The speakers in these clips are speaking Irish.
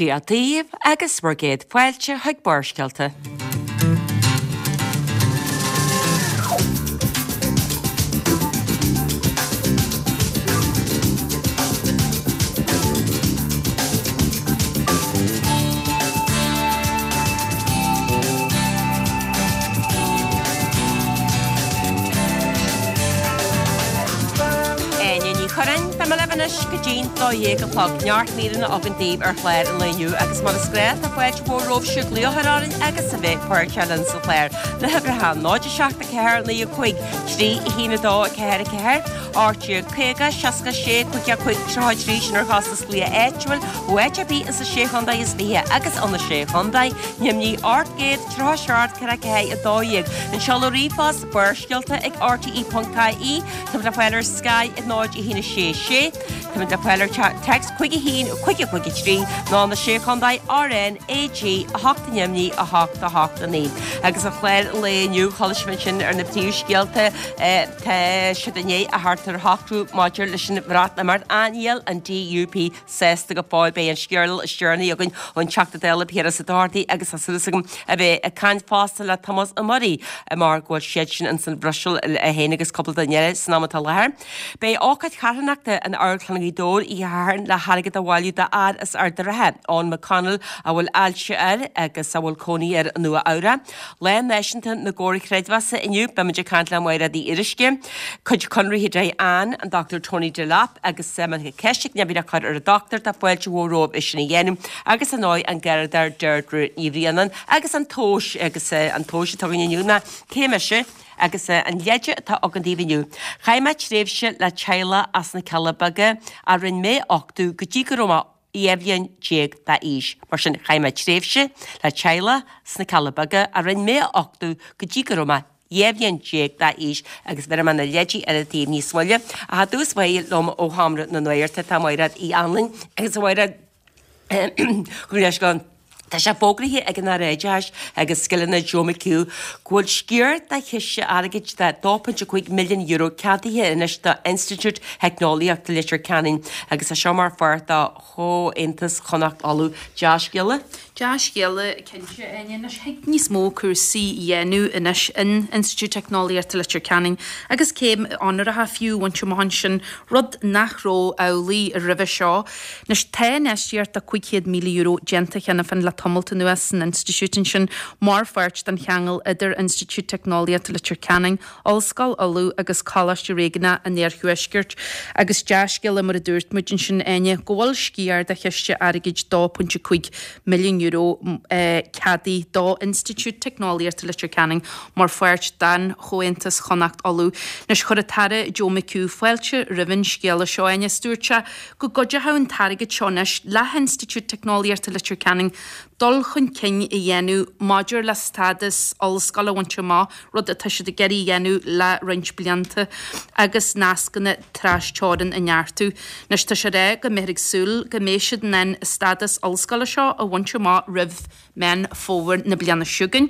Dia daoibh agus bhur gcéad fáilte chuig Barrscéalta. Áine Ní Churráin, Beidh mé libh anois go dtí'n 12 a chlog. Neart míreanna againn daoibh ar chlár an lae inniu agus mar is gnáth tá fáilte mhór romhaibhse glaoch a chur orainn agus a bheith páirteach linn sa chlár. Na huimhreacha 0 7 4 9 5 3 1 2 4 4 18 50 66 55 33 sin ar chostas glaoch áitiúil ó áit ar bith insa Sé Chontae is 20 agus ó na Sé Chontae, Nimhní 837 44 12. An seoladh ríomhphost, Barrscéalta ag rte.ie. Táimid le fáil ar Sky ag 0 1 6 6. Táimid le fáil ar text 5 1 5 5 3 nó na Sé Chontae RN AG 8 Nimhní 8 8 9. Agus ar chlár an lae inniu, chuala sibh ansin ar na príomhscéalta, tá siad i ndiaidh a theacht ar shocrú maidir leis an Bhreatimeacht. Níl an DUP sásta go fóill. Beidh an scéal is deireanaí againn ón Teachta Dála Piaras Ó Dochartaigh agus tá súil agam a bheith ag caint fosta le Tomás Ó Muirí mar go bhfuil siadsan ins an Bhruiséil é féin agus cúpla duine eile san am atá i láthair. Beidh ócáid charthanachta in Amharclann Ghaoth Dobhair oíche Shathairn le hairgead a bhailiú d'fhear as Ard an Rátha, Eoin McConnell, a bhfuil ailse air agus a bhfuil cónaí air i Nua Eabhrac. Lá Náisiúnta na gComhar Creidmheasa inniu, beimid ag caint le Máiréad Uí Fhíoruisce, cuid Conraithe Dé Ann, an Dr Tony Delap agus má tá ceist ag Neimhidh le cur ar an dochtúir, tá fáilte mhór romhaibh é sin a dhéanamh agus ar ndóigh an Garradóir Deirdre Ní Bhraonáin agus an tomhas agus an tomhas atá againn inniu ná cé mise agus an leide atá againn daoibh inniu. Chaith mé tréimhse le teaghlach as na Cealla Beaga a rinne mé a uchtú go dtí go raibh mé 12 bhliain d'aois. Mar sin, chaith mé tréimhse le teaghlach sna Cealla Beaga a rinne mé a uchtú go dtí go raibh mé 12 bhliain d'aois agus bhéarfaidh mé na leidí eile daoibh níos moille. Ach i dtús báire liom ó Sheomra na Nuachta tá Mairéad Uí Anluain agus a Mhairéad, gabh mo leithscéal. Tá sé fógraithe ag an Aire Oideachais agus Scileanna Joe McHugh go bhfuil sciar de chiste airgid de €2.5 milliún ceadaithe anois d'Institiúid Theicneolaíochta Leitir Ceanainn agus é seo mar pháirt de Chomhaontas Chonnacht Uladh. Dea-scéala? Dea-scéala cinnte, Áine. Anois thig níos mó cúrsaí a dhéanamh anois in Institiúid Teicneolaíochta Leitir Ceanainn agus céim onóracha fiú a bhaint amach ansin, rud nach raibh amhlaidh roimhe seo. Anois tá infheistíocht de €500,000 déanta cheana féin le tamalt anuas san institiúid ansin mar pháirt den cheangal idir Institiúid Teicneolaíochta Leitir Ceanainn, Ollscoil Uladh agus Coláiste Réigiúnach an Iarthuaiscirt. Agus dea-scéala mar a dúirt muid ansin, Áine, go bhfuil sciar de chiste airgid €2.5 milliún ceadaithe do Institiúid Teicneolaíochta Leitir Ceanainn mar pháirt den Chomhaontas Chonnacht Uladh. Anois chuir an tAire Joe McHugh fáilte roimh an scéala seo, Áine, is dúirt sé go gcuideoidh an t-airgead seo anois le hInstitiúid Teicneolaíochta Leitir Ceanainn dul chun cinn a dhéanamh maidir le stádas ollscoile a bhaint amach, rud atá siad ag iarraidh a dhéanamh le roinnt blianta, agus nascanna trasteorann a neartú. Anois tá sé ag rá go mbeifear ag súil go mbeidh siad in ann an stádas ollscoile seo a bhaint amach roimh Meán Fómhair na bliana seo chugainn.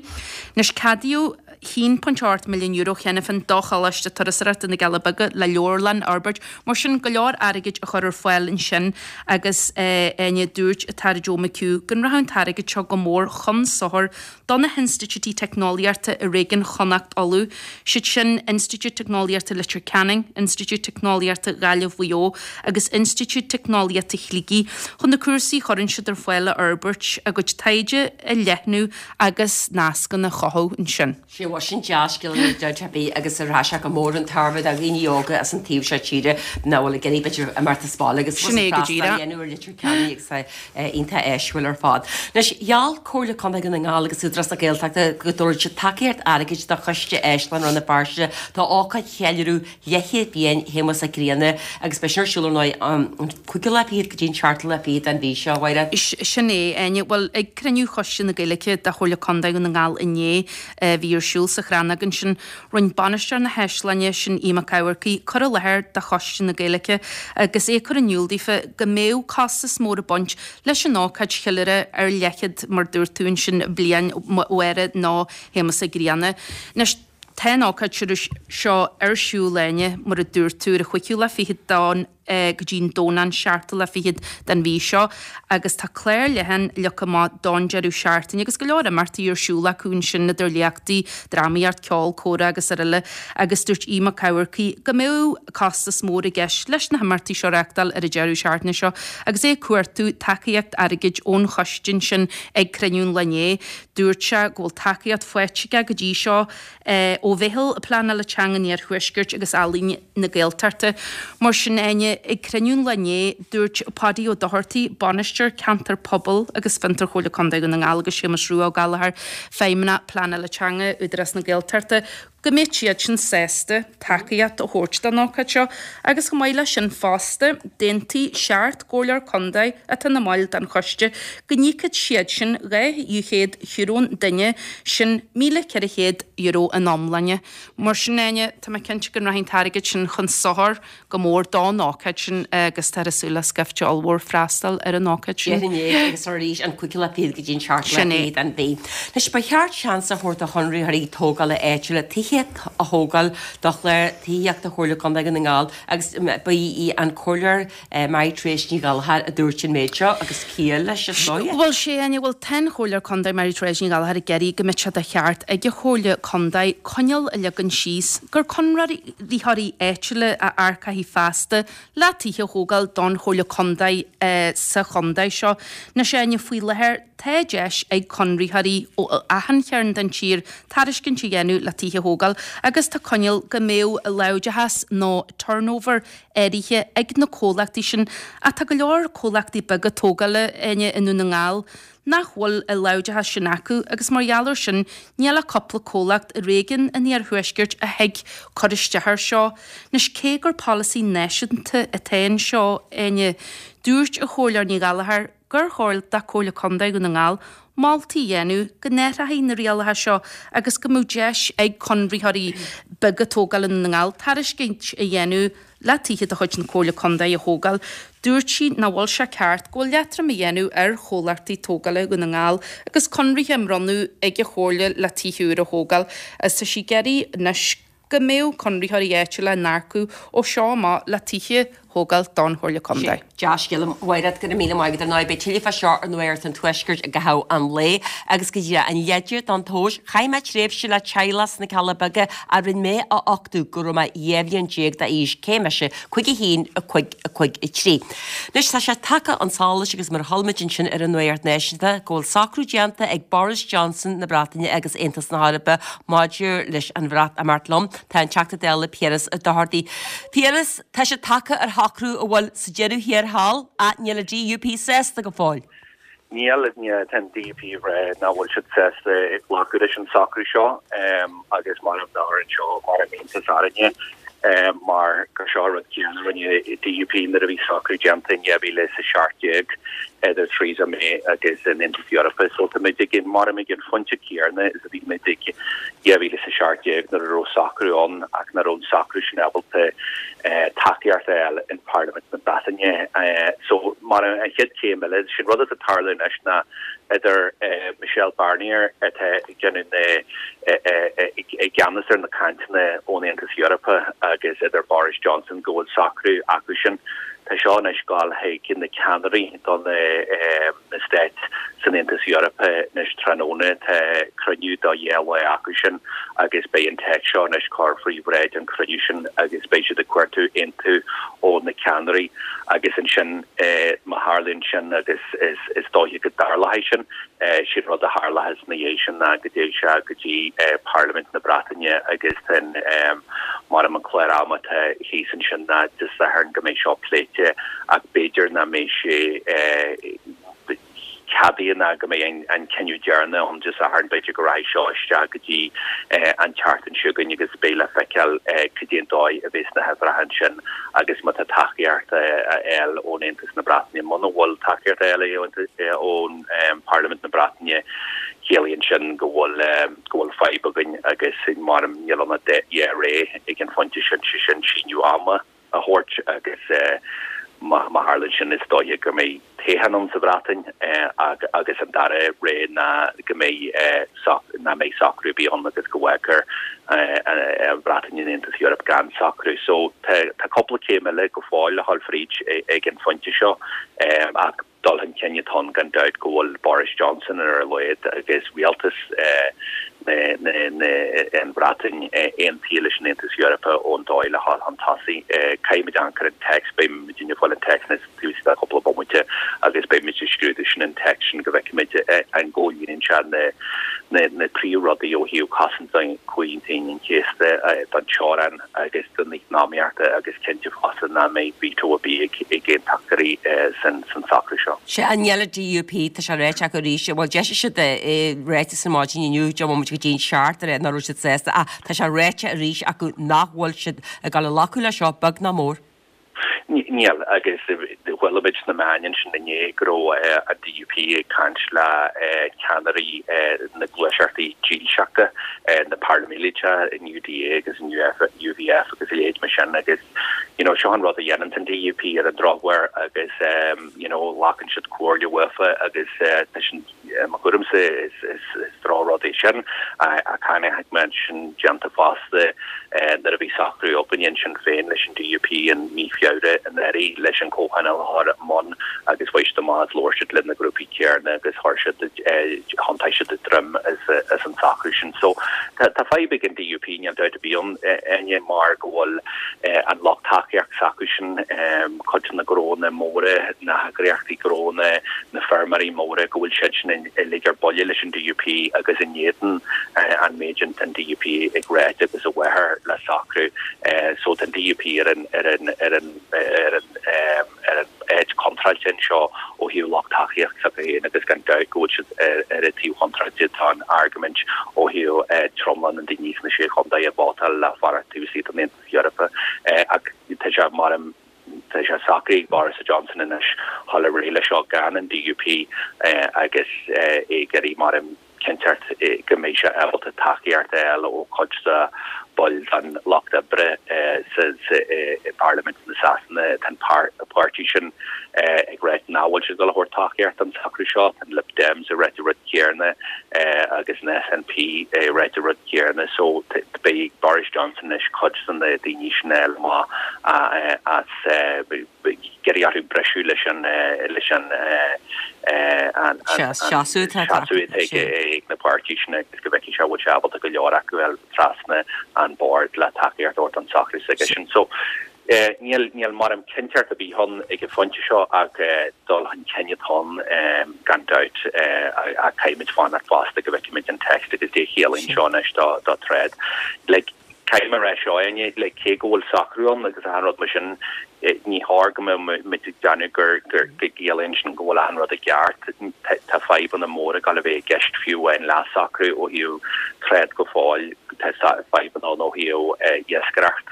Anois ceadaíodh €1.8 milliún cheana féin do Choláiste Turasóireachta na gCealla Beaga le leabharlann a fhorbairt, mar sin go leor airgid a chur ar fáil ansin agus Áine, dúirt an tAire Joe McHugh go rachadh an t-airgead seo go mór chun sochair do na hinstitiúidí teicneolaíochta i réigiún Chonnacht Uladh, siad sin Institiúid Teicneolaíochta Leitir Ceanainn, Institiúid Teicneolaíochta Ghaillimh Mhaigh Eo agus Institiúid Teicneolaíochta Shligigh, chun na cúrsaí a chuireann siad ar fáil a fhorbairt, a gcuid taighde a leathnú agus nascanna a chothú ansin. Sea, bhuel sin dea-scéala níl dabht ar bith agus rachaidh sé go mór chun tairbhe do dhaoine óga as an taobh seo tíre nach bhfuil ag iarraidh b'fhéidir imeacht as baile agus Sin é go freastal a díreach. dhéanamh ar Leitir Ceanainn agus iontach áisiúil ar fad. Anois, gheall Comhairle Contae Dhún na nGall agus Údarás na Gaeltachta go dtabharfaidh siad tacaíocht airgid do Choiste Áislann Rann na Feirste do ócáid cheiliúradh leathchéad bliain Shéamuis Mhic Grianna agus beidh sin ar siúl ar ndóigh an cúigiú lá fichead go dtí an seachtú lá fichead den mhí seo, a Mháire. Sin é, Áine. Bhuel, ag cruinniú Choiste na Gaeilge de Chomhairle Contae Dhún na nGall inné, a bhí ar siúl sa Chrannóg ansin, Rinne bainisteoir na hÁislainne, sin Aodh Mac Eamharcaigh, cur i láthair do Choiste na Gaeilge agus é ag cur in iúl daofa go mbeadh costas mór ag baint leis an ócáid cheiliúrtha ar leathchéad, mar dúirt tú ansin, bliain Mháire nó Shéamuis Uí Ghrianna. Anois, tá an ócáid seo ar siúl, Áine, mar a dúirt tú, ar an chúigiú lá fichead don. go dtí an Domhnach an seachtú lá fichead den mhí seo agus tá clár leathan leagtha amach don deireadh seachtaine agus go leor imeachtaí ar siúl acu ansin idir léachtaí, drámaíocht, ceol, comhrá agus araile agus dúirt Aodh Mac Eamharcaigh go mbeadh costas mór i gceist leis na himeachtaí seo a reáchtáil ar an deireadh seachtaine seo agus é ag cuartú tacaíocht airgid ón choiste ansin ag cruinniú an lae inné. Dúirt sé go bhfuil tacaíocht faighte aige go dtí seo ó Mheitheal Pleanála Teanga an Iarthuaiscirt agus Ealaín na Gaeltachta. Mar sin, Áine, ag cruinniú an lae inné, dúirt Paudie Ó Dochartaigh, Bainisteoir Ceantar Pobail agus Fiontar Chomhairle Contae Dhún na nGall agus Séamus Rua Ó Gallchóir, Feidhmeannach Pleanála Teanga Údarás na Gaeltachta, go mbeadh siad sin sásta tacaíocht a thabhairt don ócáid seo agus chomh maith leis sin fosta, d'aontaigh seacht gcomhairleoir contae atá ina mbaill den choiste go n-íocfadh siad sin €200 an duine, sin €1,400 in iomláine. Mar sin, Áine, tá mé cinnte go rachaidh an t-airgead sin chun sochair go mór don ócáid sin agus táthar ag súil le scaifte ollmhór freastal ar an ócáid sin. Déarfainn é agus arís an cúigiú lá fichead go dtí an seachtú lá Sin é. fichead den mhí. Anois, ba cheart seans a thabhairt do chonraitheoirí tógála áitiúla tithe a thógáil do chlár tithíochta Chomhairle Contae Dhún na nGall agus ba í an Comhairleoir Mary Therese Ní Ghallchóir a dúirt an méid seo agus ciall leis is dóigh. Bhuel, sé, Áine, bhuel, tá an Chomhairleoir Contae Mary Therese Ní Ghallchóir ag iarraidh go mbeadh sé de cheart ag an Chomhairle Contae coinníoll a leagan síos gur conraitheoirí áitiúla a earcófaí feasta le tithe a thógáil don Chomhairle Contae sa chontae seo. Anois, Áine, faoi láthair tá deis ag conraitheoirí ó achan chearn den tír tairiscint a dhéanamh le tithe a thógáil agus tá coinníoll go mbeadh láimhdeachas nó turnover áirithe ag na comhlachtaí sin ach tá go leor comhlachtaí beaga tógála, Áine, i nDún na nGall nach bhfuil an láimhdeachas sin acu agus mar gheall air sin níl ach cúpla comhlacht i réigiún an iarthuaiscirt a thig cur isteach air seo. Anois cé gur polasaí náisiúnta atá anseo, Áine, dúirt an Chomhairleoir Ní Ghallchóir gur chóir do Chomhairle Contae Dhún na nGall moltaí a dhéanamh go n-athrófaí na rialacha seo agus go mbeadh deis ag conraitheoirí beaga tógála i nDún na nGall tairiscint a dhéanamh le tithe de chuid na Comhairle Contae a thógáil. Dúirt sí nach bhfuil sé ceart go bhfuil leatrom á dhéanamh ar chomhlachtaí tógála Dhún na nGall agus conraithe á mbronnadh ag an Chomhairle le tithe úra a thógáil agus tá sí ag iarraidh anois go mbeadh conraitheoirí áitiúla á n-earcú ó seo amach le tithe a thógáil don Chomhairle Contae. Dea-scéala, a Mhairéad, go raibh míle maith agat. Ar ndóigh, beidh tuilleadh fá seo ar Nuacht an Tuaiscirt i gcaitheamh an lae agus go díreach an leide don tomhas. Chaith mé tréimhse le teaghlach sna Cealla Beaga a rinne mé a uchtú go raibh mé 12 bhliain d'aois, cé mise? 5 1 5 5 3. Anois tá sé tagtha chun solais agus mar a chuala muid ansin ar an Nuacht Náisiúnta go bhfuil socrú déanta ag Boris Johnson na Breataine agus Aontas na hEorpa maidir leis an Bhreatimeacht liom. Tá an Teachta Dála Piaras Ó Dochartaigh. Piaras, tá sé tagtha ar shocrú a bhfuil sa deireadh thiar thall ach níl an DUP sásta go fóill. Níl, tá an DUP ag rá nach bhfuil siad sásta ag glacadh leis an socrú seo agus mar a bheadh anseo mar iontas orainne mar gur seo an rud céanna a rinne DUP nuair a bhí socrú déanta in 2017 idir Theresa May agus an Aontas Eorpach. So tá muid ag an, mar ag an phointe céanna is a bhí muid ag 2017 nuair a raibh socrú ann ach nach raibh an socrú sin ábalta tacaíocht a fháil in Parlaimint na Breataine. So mar an chéad chéim eile, sin rud atá ag tarlú anois ná idir Michel Barnier atá ag déanamh na i gceannas ar na cainteanna ón Aontas Eorpach agus idir Boris Johnson go bhfuil socrú acu sin. Tá seo anois ag gabháil chuig na ceannairí do na na stáit san Aontas Eorpach anois tráthnóna. Tá cruinniú do dhá lá acu sin agus beidh an téacs seo anois cur faoi bhráid an chruinniú sin agus beidh siad ag cuartú aontú ó na ceannairí agus ansin má tharlaíonn sin agus is dóiche go dtarlóidh sin, sin rud a tharlóchas ina dhiaidh sin ná go dtéigh sé go dtí Parlaimint na Breataine agus tá mar an clár ama atá thíos ansin ná Dé Sathairn go mbeidh seo pléite ach b'fhéidir nach mbeidh sé ceadaithe ná go mbeidh an cinneadh deireanach ann Dé Sathairn, b'fhéidir go rachaidh seo isteach go dtí an tseachtain seo chugainn agus beidh le feiceáil cad é an dóigh a bheas na huimhreacha ansin agus má tá tacaíocht á fháil ón Aontas na Breataine. Muna bhfuil tacaíocht á fháil ón Parlaimint na Breataine, ciallaíonn sin go bhfuil go bhfuil fadhb againn agus mar níl ann ach dhá rogha ag an phointe sin, sé sin síneadh ama a thabhairt agus. Má tharlaíonn sin is dóiche go mbeidh toghchán ann sa Bhreatain agus an dara rogha ná go mbeidh nach mbeidh socrú ar bith ann agus go bhfágfar an Bhreatain in Aontas Eorpach gan socrú. So tá cúpla céim eile go fóill le dhul fríd ag an phointe seo ach dul chun cinn atá ann gan dabht go bhfuil Boris Johnson ar a laghad agus rialtas an Bhreatain aontaithe leis an Aontas Eorpach ón dóigh le dhul chun tosaigh. Caithfimid amharc ar an téacs, beidh muidinne ag fáil an téacs anois taobh istigh de chúpla bomaite agus beidh muid ag scrúdú sin an téacs sin go bhfeicfimid an gcomhlíonann sé na príomhrudaí ó thaobh cosaint don Chomhaontú Aoine an Chéasta, don teorainn. agus don eacnamaíocht agus cinnte fosta nach mbeidh veto ar bith ag aontachtóirí san socrú seo. Sea, níl an DUP, tá sé ráite acu arís, bhuel d'eisigh siad ráiteas ar maidin inniu, deich mbomaite go dtí an seacht, a rá nach raibh siad sásta ach tá sé ráite arís acu nach bhfuil siad ag dul a ghlacadh leis seo, beag ná mór. Níl, agus chuala muid sna meáin ansin inné go raibh an DUP ag caint le ceannairí na gluaiseachtaí dílseachta, na paramíliteach, an UDA agus an UVF agus a leithéid mar sin agus you know seo an rud a dhéanann an DUP ar an drochuair agus you know glacann siad comhairle uafa agus tá sin I mo thuairimse is drochrud é sin ach chonaic mé sin déanta fosta nuair a bhí socrú againne ansin féin leis an DUP in mí Feabhra anuraidh leis an comhthionól a chur i mbun agus chuaigh siad amach is labhair siad le na grúpaí céarna agus chuir siad thiontaigh siad a droim as an socrú sin. So tá fadhb ag an DUP, níl dabht ar bith ann, Áine, mar go bhfuil an lucht tacaíocht s'acusan, cuid de na gnónna móra, na heagraíochtaí gnónna, na feirmeoirí móra, go bhfuil siad sin uilig ar buile leis an DUP agus in éadan an méid sin an DUP ag ráit agus i bhfabhar le socrú. So tá an DUP ar an ar an ar an ar an ar an áit chontráilte anseo ó thaobh lucht tacaíocht s'acu féin agus gan dabht go bhfuil siad ar ar an taobh chontráilte tá an argóint ó thaobh tromlach na ndaoine sna Sé Chontae a vótáil le fanacht taobh istigh den Aontas Eorpach ach tá sé mar Tá sé socraithe ag Boris Johnson anois dhul ar aghaidh leis seo gan an DUP agus é ag iarraidh mar cinnteacht go mbeidh sé ábalta tacaíocht a fháil ó chuid de baill den Lucht Oibre sa i bParlaimint na Sasana. Tá an páirtí sin ag ráit nach bhfuil siad ag dul a thabhairt tacaíocht don socrú seo. Tá an Lib Dems ag ráit an rud céarna agus an SNP ag ráit an rud céarna. So beidh ag Boris Johnson anois cuid de na daoine sin a fháil amach as iarraidh orthu briseadh leis an leis an an seasamh atá ag na páirtí sin agus go bhfeicfidh sé an bhfuil sé ábalta go leor acu a fháil trasna an bord le tacaíocht a thabhairt don socrú s'aigesean. So Níl, níl mar cinnteacht ar bith ann ag an phointe seo ach dul chun cinn atá ann gan dabht ach caithfimid fanacht fosta go bhfeicfimid an text agus caidé a chiallaíonn seo anois do trád. Like, caithfidh mé a rá seo, Áine, like, cé go bhfuil socrú ann agus achan rud mar sin, ní chóir go mbeadh muid ag déanamh gur go gciallaíonn sin go bhfuil achan rud i gceart. Tá fadhbanna móra ag dul a bheith i gceist fiú amháin le socrú ó thaobh trád go fóill. Tá fadhbanna ann ó thaobh iascaireacht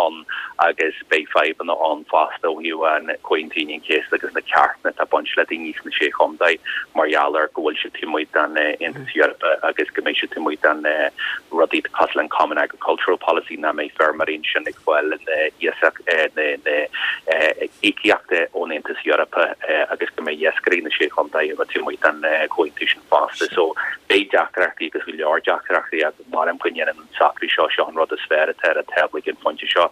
ann agus beidh fadhbanna ann fosta ó thaobh an Comhaontú Aoine an Chéasta agus na ceartanna atá ag baint le daoine sna Sé Chontae mar gheall ar go bhfuil siad taobh amuigh den Aontas Eorpach agus go mbeidh siad taobh amuigh den rudaí cosúil le an Common Agricultural Policy nach mbeidh feirmeoirí ansin ag fáil na na íocaíochta ón Aontas Eorpach agus go mbeidh iascairí na Sé Chontae taobh amuigh den chomhaontú sin fosta. So beidh deacrachtaí agus go leor deacrachtaí ach maram go ndéanann an socrú seo, seo an rud is fearr atá ar an tábla ag an phointe seo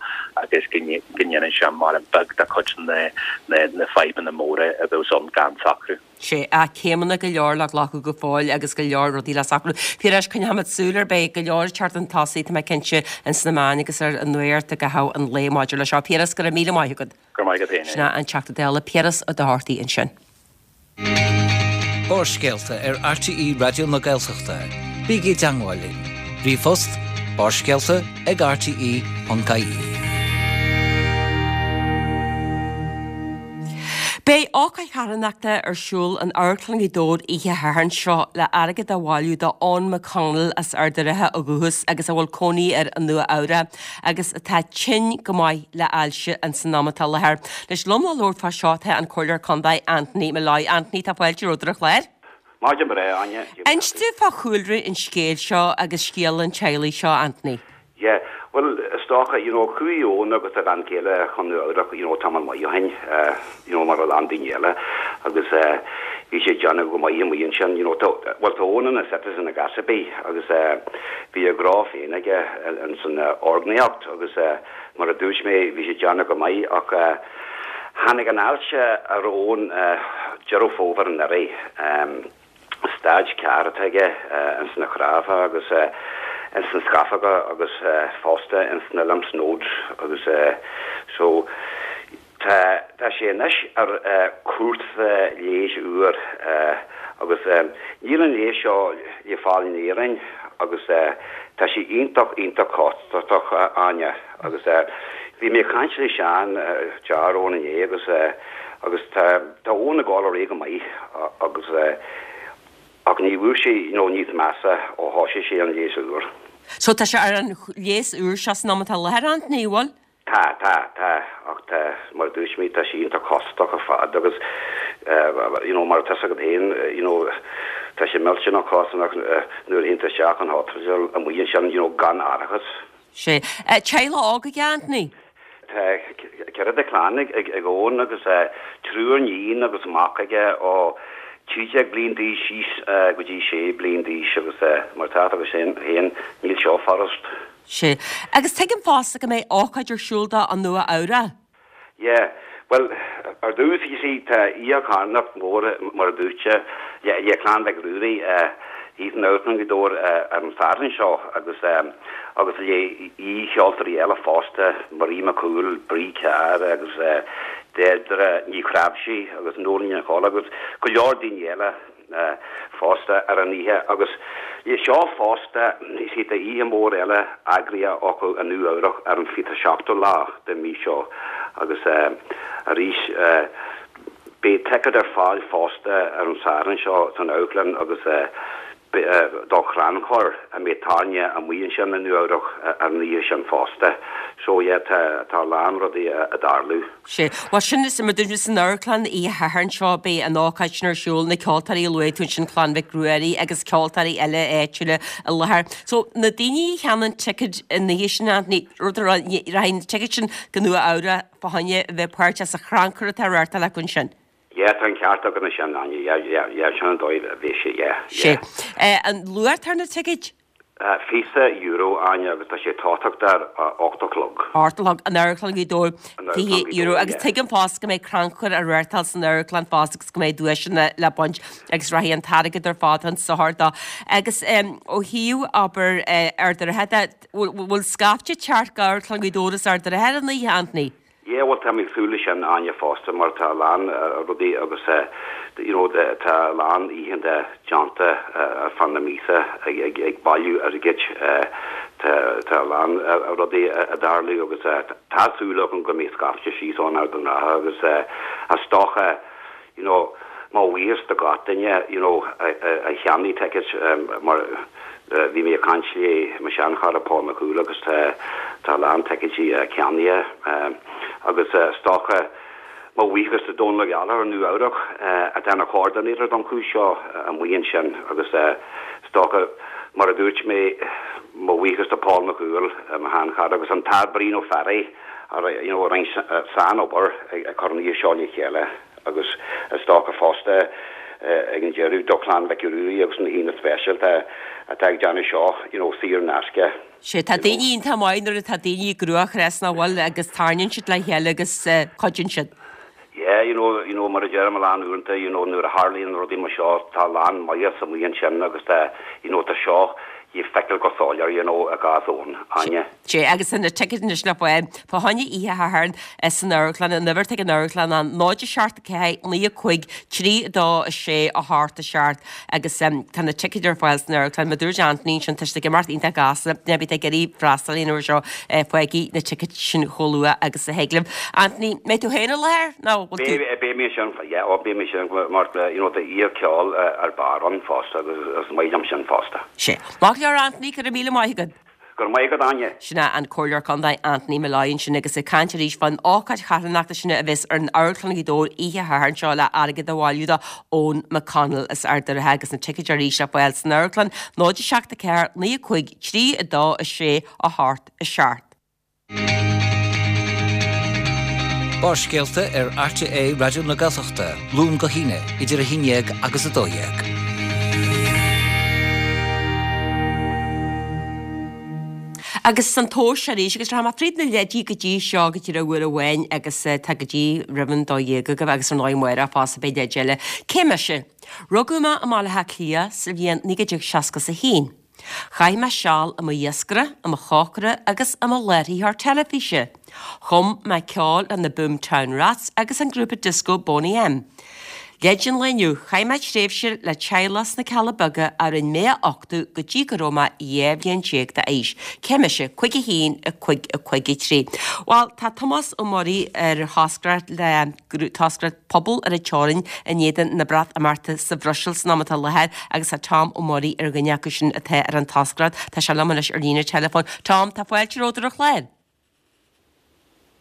agus go ndéanann sé maram beag de chuid na fadhbanna móra a bheas ann gan socrú. Sea, céimeanna go leor le glacadh go fóill agus go leor rudaí le socrú. Piaras, coinneoimid súil air, beidh go leor ag teacht chun tosaigh, tá mé cinnte, ins na meáin agus ar an nuacht i gcaitheamh an lae maidir leis seo. Piaras, go raibh míle maith agat. Go raibh maith agat féin. Sin é an Teachta Dála Piaras Ó Dochartaigh ansin. Barrscéalta ar RTÉ Raidió na Gaeltachta. Bígí i dteangmháil linn. Ríomhphost, barrscéalta ag rte.ie. Beidh ócáid charthanachta ar siúl in Amharclann Ghaoth Dobhair oíche Shathairn seo le airgead a bhailiú do Eoin McConnell as Ard an Rátha ó dhúchas agus a bhfuil cónaí air i Nua Eabhrac agus atá tinn go maith le ailse ins an am atá i láthair. Anois liom le labhairt fá seo tá an Comhairleoir Contae Anthony Molloy. Anthony, tá fáilte romhat ar an chlár. Maidin bhreá, Áine. Inis dúinn fá chúlra an scéil seo agus scéal an teaghlaigh seo, Anthony. Yeah, bhuel, is. is dócha, you know, chuaigh Eoin agus a bhean chéile chun Nua Eabhrac, you know, tamall maith ó shin, you know, mar a lán daoine eile agus bhí sé ag déanamh go maith amuigh ansin, you know, tá, bhuel tá Eoin ina citizen ag Asibí agus bhí a ghnó féin aige ins an orgnaíocht agus mar a dúirt mé, bhí sé ag déanamh go maith ach tháinig an ailse ar Eoin Deireadh Fómhair anuraidh. Staid 4 atá aige ins na cnámha agus ins na scamhóga agus fosta ins na lymph nodes agus so tá tá sé anois ar chúrsa leighis úr agus níl an leigheas seo le fáil in Éirinn agus tá sé iontach iontach costach a Áine agus bhí mé ag caint le Seán deartháir Eoin inné agus agus tá tá Eoin ag dul ar aghaidh go maith agus ach ní bhfuair sé you know níos measa ó thosaigh sé an leigheas úr. So tá sé ar an leigheas úr seo san am atá i láthair Anthony, an bhfuil? Tá, tá, tá ach tá mar a dúirt mé tá sé iontach costach ar fad agus you know mar atá fhios agat féin you know tá sé millteanach costach nuair a théann tú isteach an hospital amuigh ansin you know gan árachas. Sea. Teaghlach óg aige, Anthony? Tá ceithre de chlann ag Eoin agus triúr iníon agus mac aige ó 13 bliain d'aois síos go dtí 6 bliain d'aois agus mar atá agat féin, níl seo furast. Sea. Agus tuigim fosta go mbeidh ócáid ar siúl dó i Nua Eabhrac. Yeah, bhuel, ar dtús, you see, tá oíche charthanacht mhór, mar a dúirt sé, le Clann Mhic Ruairí thíos in Amharclann Ghaoth Dobhair ar an Satharn seo agus agus le aoi-cheoltóirí eile fosta, Marie McCool, Bree Carr agus Deirdre Ní Chnáimhsí agus Nóirín Ní Cholla agus go leor daoine eile. fosta ar an oíche agus le seo fosta you see tá oíche mhór eile eagraithe acu i Nua Eabhrac ar an 27ú lá den mhí seo agus arís beidh ticéid ar fáil fosta ar an Satharn seo san amharclann agus do chrannchur a mbeidh tairne amuigh ansin i Nua Eabhrac ar an oíche sin fosta. So yeah tá tá a lán rudaí ag tarlú. Sea. Bhuel, sin is mar dúirt mé san amharclann oíche Shathairn seo beidh an ócáid sin ar siúl, na ceoltóirí a luaigh tú ansin, Clann Mhic Ruairí agus ceoltóirí eile áitiúla i láthair. So, na daoine a cheannaíonn ticéid an oíche sin, Anthony, rud a rachaidh na ticéid sin go Nua Eabhrac fá choinne a bheith páirteach sa chrannchur atá á reáchtáil acu ansin. Yeah, tá an ceart agat ansin, Áine, yeah, yeah, yeah, sin an dóigh a bheidh sé, yeah, yeah. Sea. An luach atá ar na ticéid? €20, Áine, agus tá sé ag tosacht ar a 8 a chlog. 8 a chlog, in Amharclann Ghaoth Dobhair, €20, agus tuigim fosta go mbeidh crannchur á reáchtáil san amharclann fosta agus go mbeidh duaiseanna le baint agus rachaidh an t-airgead ar fad chun sochair dó. Agus ó thaobh, abair, Ard an Rátha de, bhfuil scaifte ag teacht go Amharclann Ghaoth Dobhair is Ard an Rátha ar an oíche, Anthony? Yeah bhuel tá mé ag súil leis sin Áine fosta mar tá a lán rudaí agus you know tá a lán oícheanta déanta ar feadh na míosa ag ag bailiú airgid tá tá a lán rudaí ag tarlú agus tá súil agam go mbeidh scaifte síos ón Ard an Rátha agus is dócha you know, mo bhuíochas do gach duine, you know, a cheannaigh tickets mar bhí mé ag caint le mo sheanchara Paul McCool agus tá tá a lán ticéidí ceannaithe agus is dócha mo bhuíochas do Dónal Ó Gallchóir i Nua Eabhrac atá ina choordinator don chúis seo amuigh ansin agus is dócha mar a dúirt mé mo bhuíochas do Paul McCool mo sheanchara agus an tAthair Brian Ó Fearraigh a you know a rinne san-obair ag cur an oíche seo le chéile. Agus is dócha fosta ag an deireadh do Chlann Mhic Ruairí agus na haíonna speisialta atá ag déanamh seo you know saor in aisce. Sea, tá daoine iontach maith nuair atá daoine i gcruachás nach bhfuil agus tarraingíonn siad le chéile agus cuidíonn siad. Yeah, you know, you know mar a deirim a lán uaireanta, you know nuair a tharlaíonn rudaí mar seo tá a lán maitheas amuigh ansin agus tá, you know tá seo le feiceáil go soiléir, you know i gcás Eoin, Áine. Sea, agus tá na ticéid anois le fáil fá choinne oíche Shathairn san amharclann, an uimhir atá ag an amharclann ná 0 7 4 9 5 3 2 6 8 7 agus tá na ticéid ar fáil san amharclann. Mar a dúirt Anthony ansin, tá siad ag imeacht iontach gasta, duine ar bith atá ag iarraidh freastal ar an uair seo, faighigí na ticéid sin chomh luath agus a thig libh. Anthony, mbeidh tú féin i láthair nó bhfuil tú. Beidh mé ansin, yeah, oh beidh mé ansin mar you know tá oíche ceoil ar barr ann fosta agus is maith liom sin fosta. Sea. Maith go leor Anthony, go raibh míle maith agat. Go raibh maith agat, Áine. Sin é an Comhairleoir Contae Anthony Molloy ansin agus ag caint arís fán ócáid charthanachta sin a bheas ar an Amharclann Ghaoth Dobhair oíche Shathairn seo le airgead a bhailiú do Eoin McConnell as Ard an Rátha agus na ticéid arís le fáil san amharclann 0 7 4 9 5 3 2 6 8 7. Barrscéalta ar RTÉ Raidió na Gaeltachta, Luan go hAoine, idir 11 agus 12. Agus an tomhas arís, agus rachaidh mé fríd na leidí go dtí seo go díreach uair amháin agus tá go dtí roimh an 12 agaibh agus ar ndóigh amárach fosta beidh leid eile. Cé mise? Rugadh mé i mBaile Átha Cliath sa bhliain 1961. Chaith mé seal i mo iascaire, i mo chócaire agus i mo láithreoir teilifíse. Chum mé ceol le na Boomtown Rats agus an grúpa dioscó Boney M. Leid an lae inniu, Chaith mé tréimhse le teaghlach sna Cealla Beaga a rinne mé a uchtú go dtí go raibh mé 12 bhliain d'aois. Cé mise? 5 1 5 5 3. Bhuel, tá Tomás Ó Muirí ar thoscaireacht le toscaireacht Pobal ar an Teorainn in éadan na Breatimeachta sa Bhruiséil san am atá i láthair agus tá Tom Ó Muirí ar dhuine acu sin atá ar an toscaireacht. Tá sé liom anois ar líne teileafóin. Tom, tá fáilte romhat ar an chlár.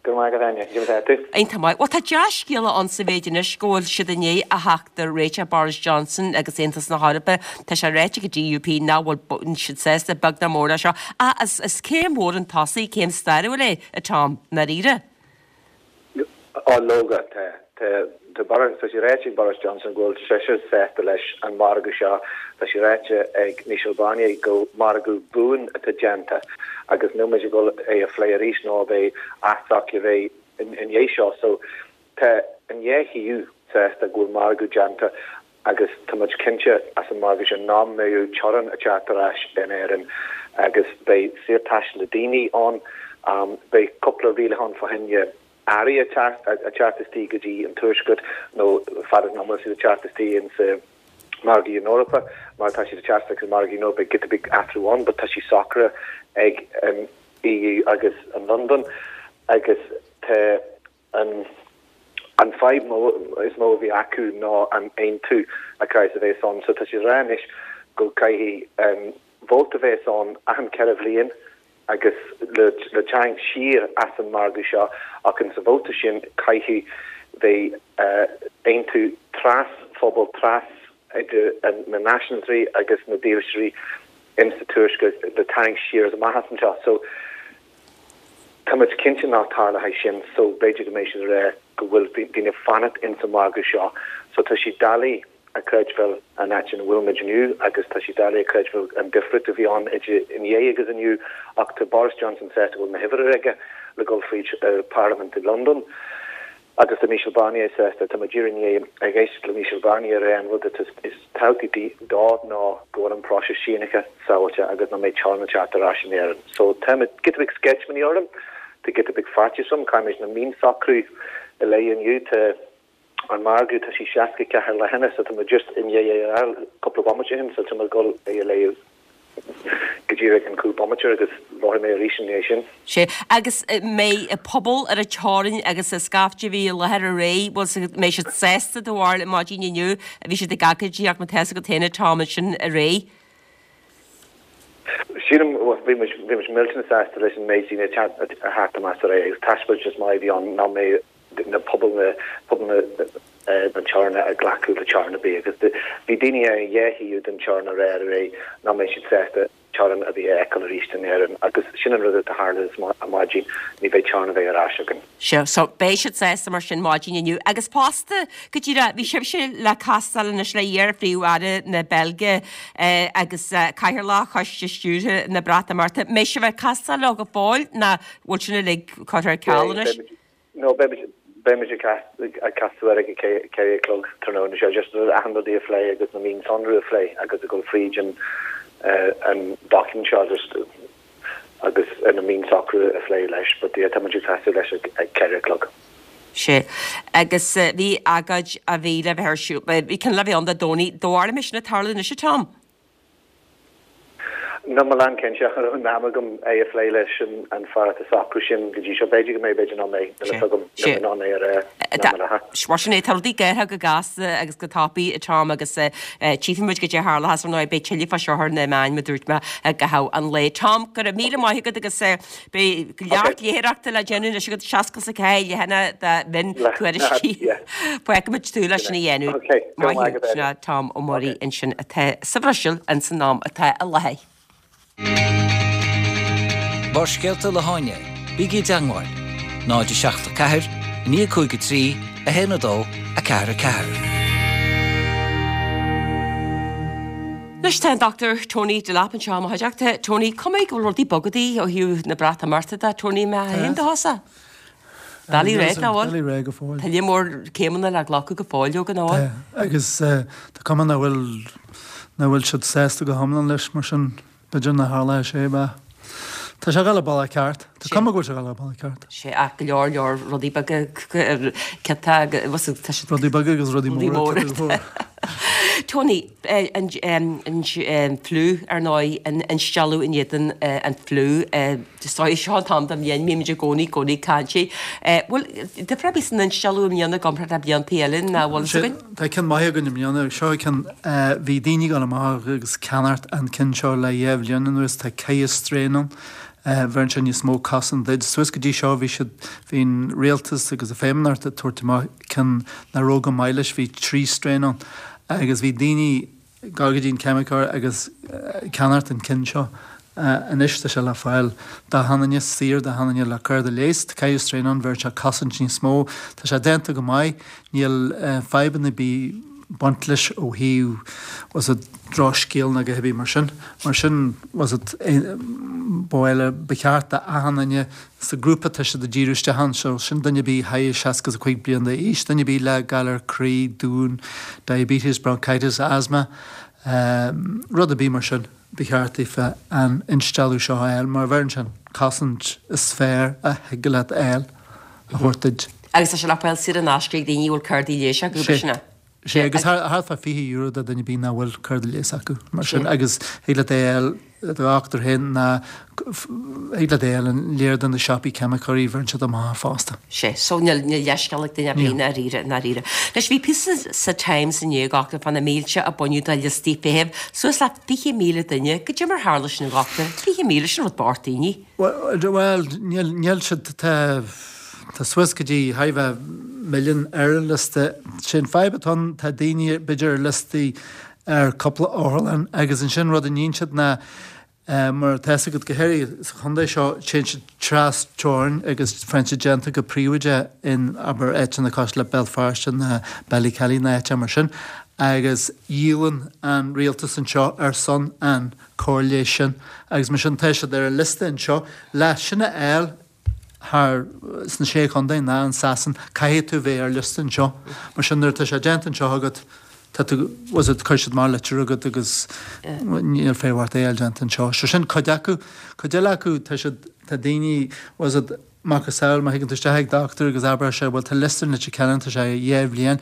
Go raibh maith agat, Áine. Cad é mar atá tú? Iontach maith. Bhuel, tá dea-scéala ann sa mhéid anois go bhfuil siad i ndiaidh a theacht ar réiteach Boris Johnson agus Aontas na hEorpa. Tá sé ráite ag an DUP nach bhfuil siad sásta beag ná mór leis seo. Ach is is céim mhór chun tosaigh, céim stairiúil é, a Tom, i ndáiríre. Á, leoga, tá. Tá tá Boris, tá sé ráite ag Boris Johnson go bhfuil seisean sásta leis an margadh seo. Tá sé ráite ag Michel Barnier go margadh buan atá déanta agus níl muid ag dul é a phlé arís nó beidh athsocrú a bheidh i ndiaidh seo. So tá an dhá thaobh sásta go bhfuil margadh déanta agus tá muid cinnte as an margadh sin nach mbeidh teorainn ag teacht ar ais in Éirinn agus beidh saorthaisteal le daoine ann. Beidh cúpla rialachán fá choinne earraí ag teacht istigh go dtí an Tuaisceart nó fad is nach bhfuil siad ag teacht istigh in sa margadh na hEorpa mar tá siad ag teacht isteach sa margadh na Eorpa beidh giota beag athrú ann but tá sé socraithe ag an EU agus an Londain agus tá an an fadhb mó is mó a bhí acu ná an aontú a caithfidh a bheith ann so tá siad ag rá anois go caithfidh an vóta bheith ann achan 4 bhliain agus le tarraingt siar as an margadh seo ach in sa vóta sin caithfidh bheith aontú tras phobal, tras idir na náisiúntóirí agus na dílseoirí in sa tuaisceart le tarraingt siar as amach as anseo. So tá muid cinnte nach tarlóidh sin so b'fhéidir go mbeidh siad ag rá go bhfuil daoine fanacht in sa margadh seo. So tá sé doiligh a chreidbheáil an áit ina bhfuil muid inniu agus tá sé doiligh a chreidbheáil an difríocht a bhí ann idir inné agus inniu ach tá Boris Johnson sásta go bhfuil na huimhreacha aige le dul fríd Parlaimint i Londain agus tá Michel Barnier sásta. Tá muid díreach i ndiaidh ag éisteacht le Michel Barnier ar an rud is tábhachtaí dó ná go bhfuil an próiseas sínithe sábháilte agus nach mbeidh teorainn ag teacht ar ais in Éirinn. So tá muid giota beag sceitimíní orm, tá giota beag faitíos orm, caithfimid na mionsocrú a léamh inniu, tá An margadh, tá sé 64 leathanach so tá muid just i ndiaidh é a fháil cúpla bomaite ó shin so tá muid ag dul é a léamh go díreach in cúpla bomaite agus labharfaidh mé arís i ndiaidh sin. Sea, agus mbeidh pobal ar an teorainn agus an scaifte a bhí i láthair aréir, bhuel, mbeidh siad sásta do bharúil maidin inniu, bhí siad ag agóidíocht mar tá fhios agat féin an t-am ansin aréir. Sílim, bhuel, bhí muid, bhí muid millteanach sásta leis an méid daoine a theacht amach aréir agus taispeántas maith a bhí ann nach mbeidh na pobail na pobail na na teorann ag glacadh le teorainn ar bith agus bhí daoine ar an dhá thaobh den teorainn ag rá aréir nach mbeidh siad sásta teorainn a bheith a fheiceáil arís in Éirinn agus sin an rud atá tharla ar maidin, ní bheidh teorainn a bheith ar ais againn. Sea, so beidh siad sásta mar sin maidin inniu agus fosta go díreach bhí sibhse le castáil anois le iar-phríomh-aire na Beilge agus cathaoirleach choiste stiúrtha na Breatimeachta. Mbeidh sibh ag castáil leo go fóill nó bhfuil sin uilig curtha ar ceal anois? No, beimid, beimid ag casadh air ag a 4 a chlog tráthnóna seo, just achan rud a phlé agus na mionsonraí a phlé agus a dhul fríd an an document seo just agus na mionsocrú a phlé leis, but yeah, tá muid ag casadh leis ag 4 a chlog. Sea. Agus bhí agóid a bhí le bheith ar siúl, bhí ceann le bheith ann Dé Domhnaigh, do bharúil an mbeidh sin ag tarlú anois a Tom? Níl mé lán cinnte ach an raibh am agam é a phlé leis an fear atá ag socrú sin go dtí seo. B'fhéidir go mbeidh, b'fhéidir nach mbeidh, níl a fhios agam, níl mé in ann é a rá ná mar atá. Mar sin é, tá rudaí ag athrú go gasta agus go tapaidh, a Tom, agus tchífidh muid goidé a tharlóchas, ar ndóigh, beidh tuilleadh fá seo ar na meáin, mar a dúirt mé, i gcaitheamh an lae. Tom, go raibh míle maith agat agus beidh neart léitheoireachta le déanamh anois agat, 64 leathanach de mhiontuairiscí. Fágfaimid tú leis sin a dhéanamh. Maith thú. Sin é Tom Ó Muirí ansin atá sa Bhruiséil ins an am atá i láthair. Barrscéalta le hÁine. Bígí i dteangmháil, 0 7 4 9 5 3 1 2 4 4. Anois tá an Dr Tony Delap anseo i mo chuideachta. Tony, cuma go bhfuil rudaí bogadaí ó thaobh na Breatimeachta de, Tony, má théann do thusa. Bealaí réidh, nach bhfuil? Bealaí réidh go fóill. Tá lear mór céimeanna le glacadh go fóill, leoga, nach bhfuil? Tá, agus tá cuma nach bhfuil, nach bhfuil siad sásta go hiomlán leis, mar sin. B'fhéidir nach dtarlóidh sé, bhuel. Tá sé ag dul an bealach ceart. Tá cuma go bhfuil sé ag dul an bealach ceart. Sé ach go leor leor rudaí beaga ciotá agus tá siad. Rudaí beaga agus rudaí móra. Tony, an fliú ar ndóigh, an instealladh in éadan an fliú. Seo an t-am den bhliain, bímid i gcónaí, gcónaí ag caint faoi. Bhfuil difear ar bith san instealladh i mbliana i gcomparáid le blianta eile ná bhfuil fhios againn? Tá ceann maith againn i mbliana. Seo ceann, bhí daoine ag dul amach agus ceannacht an ceann seo le dheich bhliain anuas. Tá ceithre strain ann. Bheireann sé níos mó cosaint duit. Suas go dtí seo bhí siad, bhí an rialtas agus an Feidhmeannacht ag tabhairt amach ceann nach raibh go maith leis. Bhí trí strain ann agus bhí daoine, Gabh go dtí an ceimiceoir agus ceannacht an ceann seo. Anois tá sé le fáil d'achan duine, saor d'achan duine le cárta leighis. Tá ceithre strain ann, bheireann sé cosaint níos mó. Tá sé déanta go maith, níl fadhbanna ar bith baint leis ó thaobh was it drochscéal ná a dhath ar bith mar sin. Mar sin was it ba mhaith le, ba cheart d'achan duine Sa grúpa tá siad ag díriú isteach ann seo, sin duine ar bith thar 65 bliain d'aois, duine ar bith le galar croí, dún, diabetes, bronchitis, asthma, rud ar bith mar sin, ba cheart daofa an instealladh seo a fháil mar bheireann sé an cosaint is fearr a thig leat a fháil a thabhairt duit. Agus tá sé le fáil saor in aisce ag daoine a bhfuil cártaí leighis acu, b'shin é? Sé, agus thart fá €20 do duine ar bith nach bhfuil cárta leighis acu, mar sin, agus thig leat é a fháil do dhochtúir féin ná thig leat é a fháil in lear de na siopaí ceimiceoirí, bheireann siad amach fosta. Sé, so níl leithscéal ag duine ar bith i ndáiríre, i ndáiríre. Anois, bhí píosa sa Times inné, a dhochtúir, fá na mílte a baineadh de liostaí feithimh, suas le 20,000 duine, goidé mar tharla sin, a dhochtúir, 20,000, sin rud bocht daoine. Bhuel, níl siad, tá, tá suas go dtí thar a bheith milliún ar an liosta. Sé an fadhb atá ann, tá daoine b'fhéidir ar liostaí ar cúpla otharlann agus ansin rud a níonn siad ná, mar atá fhios agat, go háirithe sa chontae seo, téann siad tras teorainn agus faigheann siad déanta go príobháideach in, abair, áiteanna cosúil le Béal Feirste ná Ballykelly ná áiteacha mar sin agus díolann an rialtas anseo ar son an cóir leighis sin agus mar sin tá siad ar an liosta anseo. Le sin a fháil thar sna Sé Chontae ná in Sasain caithfidh tú bheith ar liosta anseo. Mar sin nuair atá sé déanta anseo agat tá tú was it cuirfidh siad amach litir chugat agus níl feidhm ort é a fháil déanta anseo. So sin cuid acu. Cuid eile acu tá siad tá daoine was it macasamhail má thigeann tú isteach ag dochtúir agus abraidh sé bhuel tá liosta in Leitir Ceanainn tá sé dheich bhliain,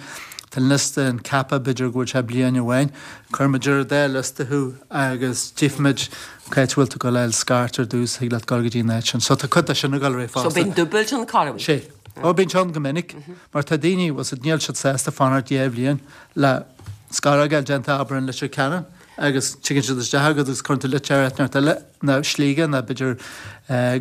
tá an liosta in Cappagh b'fhéidir go bhfuil sé bliain amháin, cuirfimid ar an dá liosta thú agus tchífimid cá háit a bhfuil tú ag dul a fháil scairt ar dtús, thig leat dul go dtí an áit sin. So tá cuid de sin ag dul ar aghaidh fosta. So bíonn dúbailt ann corruair? Sé. Ó bíonn sé ann go minic mar tá daoine, bhfuil 's a'd, níl siad sásta fanacht dheich bhliain le scaróg a fháil déanta abair in Leitir Ceanainn agus tigeann siad isteach agat agus cuireann tú litir ar áit inteacht eile ná Sligeach ná b'fhéidir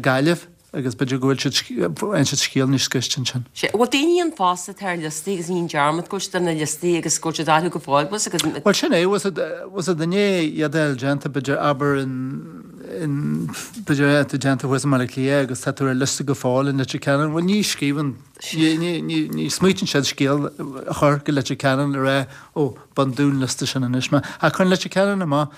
Gaillimh. Agus b'fhéidir go bhfuil siad, faigheann siad scéal níos scriste ansin. Sea, bhfuil daoine ann fosta atá ar liostaí agus ní dearmad go bhfuil siad ar na liostaí agus go bhfuil siad orthu go fóill, bhfuil 's agat? Bhuel sin é, bhfuil 's a'd, bhfuil 's a'd i ndiaidh iad a fháil déanta, b'fhéidir abair in, in, b'fhéidir é atá déanta thuas i mBaile Átha Cliath agus tá tú ar liosta go fóill in Leitir Ceanainn, bhuel ní scríobhann, ní, ní, ní, ní smaoitíonn siad scéal a chur go Leitir Ceanainn le rá, ó, bain den liosta sin anois mé. Ach cuireann Leitir Ceanainn amach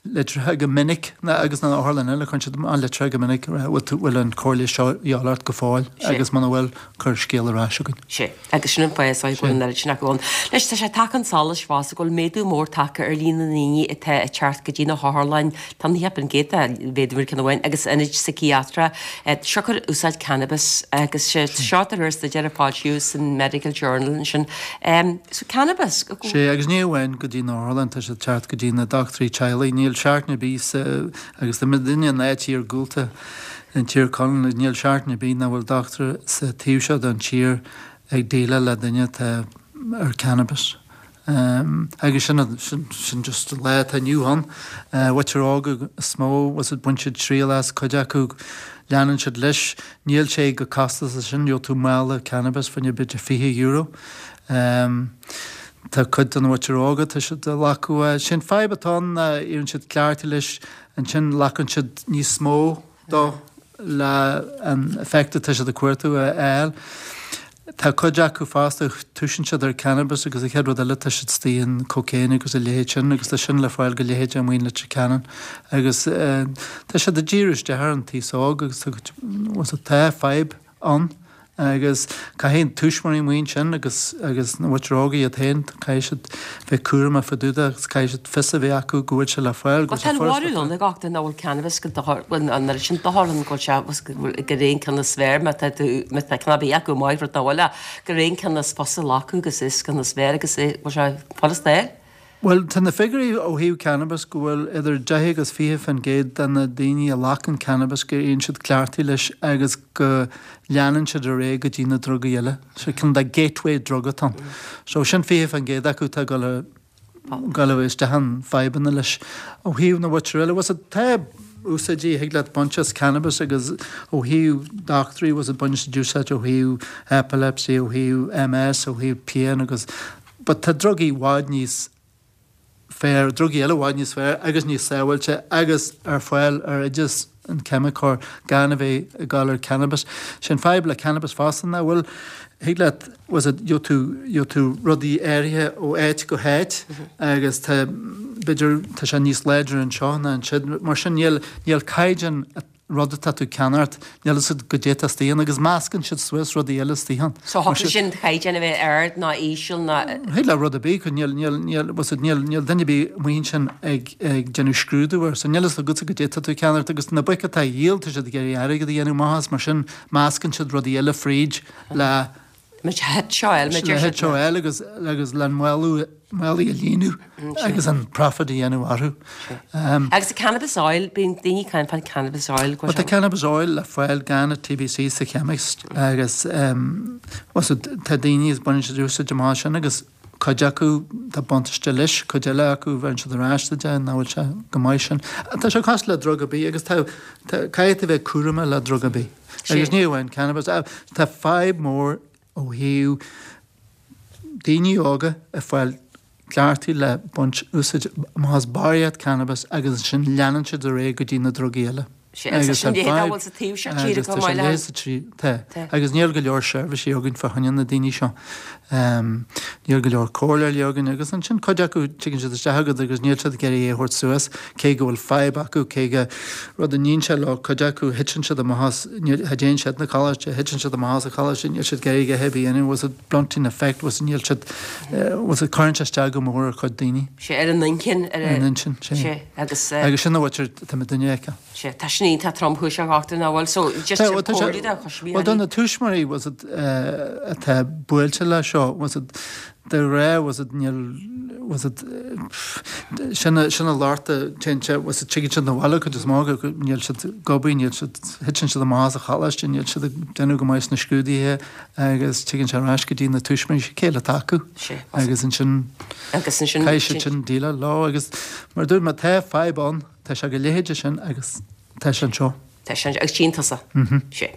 litreacha go minic, agus na otharlanna eile, cuireann siad amach litreacha go minic, bhfuil tú, bhfuil an cóir leighis seo a dhíobháil ort go fóill agus muna bhfuil, cuir scéal ar ais chugainn. Sea, agus sin an fáth is dóigh go bhfuil an oiread sin acu ann. Anois, tá sé tagtha chun solais fosta go bhfuil méadú mór tagtha ar líon na ndaoine atá ag teacht go dtí na hotharlanna, tá 90% de mhéadú ar ceann amháin, agus ionaid síciatrach, siocair úsáid cannabis agus sé seo de réir staidéir a foilsíodh san Medical Journal ansin. So cannabis. Sea, agus ní amháin go dtí na otharlanna, tá siad ag teacht go dtí na dochtúirí teaghlaigh. Níl seachtain ar bith sa, agus tá muidinne in áit iargúlta in Tír Chonaill, níl seachtain ar bith nach bhfuil dochtúir sa taobh seo den tír ag déileáil le duine atá ar cannabis. Agus sin, sin, sin just an lá atá inniu ann. Muintir óga is mó, bhfuil 's a'd, bain siad triail as, cuid acu leanann siad leis. Níl sé chomh costasach sin, gheobhaidh tú mála cannabis fá choinne b'fhéidir €20. Tá cuid den mhuintir óga, tá siad ag glacadh é. Sé'n fadhb atá ann ná éiríonn siad cleachtaithe leis, ansin glacann siad níos mó dó. le an effect atá siad ag cuartú a fháil. Tá cuid acu fosta, toisíonn siad ar cannabis agus an chéad rud eile tá siad istigh in cocaine agus a leithéid sin agus tá sin le fáil go leithéideach amuigh in Leitir Ceanainn agus tá siad ag díriú isteach ar an taos óg agus tá, tá fadhb ann agus caithfidh tuismitheoirí amuigh ansin agus agus na muintir óga iad féin, caithfidh siad bheith cúramach fá dtaobh de agus caithfidh siad fios a bheith acu go bhfuil sé le fáil, go bhfuil sé furasta Tá an bharúil ann ag gach duine nach bhfuil cannabis go dochar, bhuel an oiread sin dochar ann go bhfuil sé, go bhfuil gur aon ceann is fearr má tá tú, má tá ceann ar bith acu maith rud nach bhfuil ach gur aon ceann is fusa a ghlacadh agus is ceann is fearr agus é, bhfuil sé furasta air. Bhuel, tá na figiúirí ó thaobh cannabis go bhfuil idir 10 agus 20% de na daoine a ghlacann cannabis go éiríonn siad cleachtaithe leis agus go leanann siad ar aghaidh go dtí na drugaí eile. So cineál de gateway drug atá ann. So sin 20% acu atá ag dul a dul isteach in fadhbanna leis. Ó thaobh na mhuintir eile, bhuel tá úsáidí a thig leat baint as cannabis agus ó thaobh dochtúirí, bhuel baineann siad úsáid ó thaobh epilepsy, ó thaobh MS, ó thaobh pian agus But tá drugaí i bhfad níos fearr, drugaí eile i bhfad níos fearr agus níos sábháilte agus ar fáil ar oideas an ceimiceoir gan a bheith ag gabháil ar cannabis. Sé an fadhb le cannabis fosta ná bhfuil, thig leat, bhfuil a fhios agat, gheobhaidh tú, gheobhaidh tú rudaí áirithe ó áit go háit agus tá, b'fhéidir, tá sé níos láidre anseo ná ansiúd. Mar sin níl, níl caighdeán rud atá tú ag ceannacht, níl fhios agat goidé atá istigh ann agus meascann siad suas rudaí eile istigh ann. So thiocfadh leis an chaighdeán a bheith ard ná íseal ná. Thig le rud ar bith, níl, níl, níl, bhfuil fhios agat, níl, níl duine ar bith amuigh ansin ag, ag déanamh scrúdú air, so níl fhios agatsa goidé atá tú ag ceannacht agus na boic atá á dhíol, tá siad ag iarraidh airgead a dhéanamh amach as, mar sin meascann siad rudaí eile fríd le, Le hit seo eile, le hit seo eile agus agus le málaí málaí a líonadh agus an profit a dhéanamh orthu. Agus an cannabis oil, bíonn daoine ag caint fán cannabis oil. Bhuel tá cannabis oil le fáil gan an TBC sa chemist agus bhuel so tá daoine is baineann siad úsáid amach as sin agus cuid acu tá buntáiste leis, cuid eile acu bheireann siad ar ais duit é nach bhfuil sé go maith sin. Tá sé cosúil le drug ar bith agus tá tá caithfidh tú bheith cúramach le drug ar bith. Agus ní amháin cannabis, tá fadhb mór ó thaobh daoine óga ag fáil cleachtaithe le baint úsáid amach as barraíocht cannabis agus ansin leanann siad ar aghaidh go dtí na drugaí eile. Sea, agus tá sin leithéid a bhfuil sa taobh seo tíre chomh maith le. Tá, agus níl go leor seirbhísí againn fá choinne na daoine seo. Níl go leor comhairleoirí againn agus ansin cuid acu tigeann siad isteach chugat agus níl siad ag iarraidh é a thabhairt suas cé go bhfuil fadhb acu, cé go rud a níonn sé leo, cuid acu thiteann siad amach as, níl, cha dtéann siad 'na coláiste, thiteann siad amach as an choláiste, níl siad ag iarraidh a dhath ar bith a dhéanamh, bhfuil a fhios agat blunting effect, bhfuil a fhios agat níl siad, bhfuil a fhios agat cuireann sé isteach go mór ar chuid daoine. Sea, ar an intinn, ar an intinn, sea. Sea, agus. Agus sin a bhfuil, tá mé duine a fheiceáil. Sea, tá sin iontach tromchúiseach a dhochtúir nach bhfuil so just Tá, tá sé, comhairle do thuismitheoirí. bhuel do na tuismitheoirí bhfuil a fhios agat atá buailte le seo, bhfuil a fhios agat de ghnáth bhfuil a fhios agat níl bhfuil a fhios agat sin a sin a lort a téann sé bhfuil a fhios agat tigeann siad 'na bhaile cuid is mó acu níl siad ag obair níl siad thiteann siad amach as an choláiste níl siad ag déanamh go maith sna scrúduithe agus tigeann sé ar ais go dtí na tuismitheoirí cé eile atá acu Sea, agus ansin agus ansin caithfidh siad sin déileáil leo agus mar a dúirt mé tá fadhb ann. Tá sé go leithéide sin agus tá sé anseo. Tá sé anseo agus tchíonn tusa. Sea.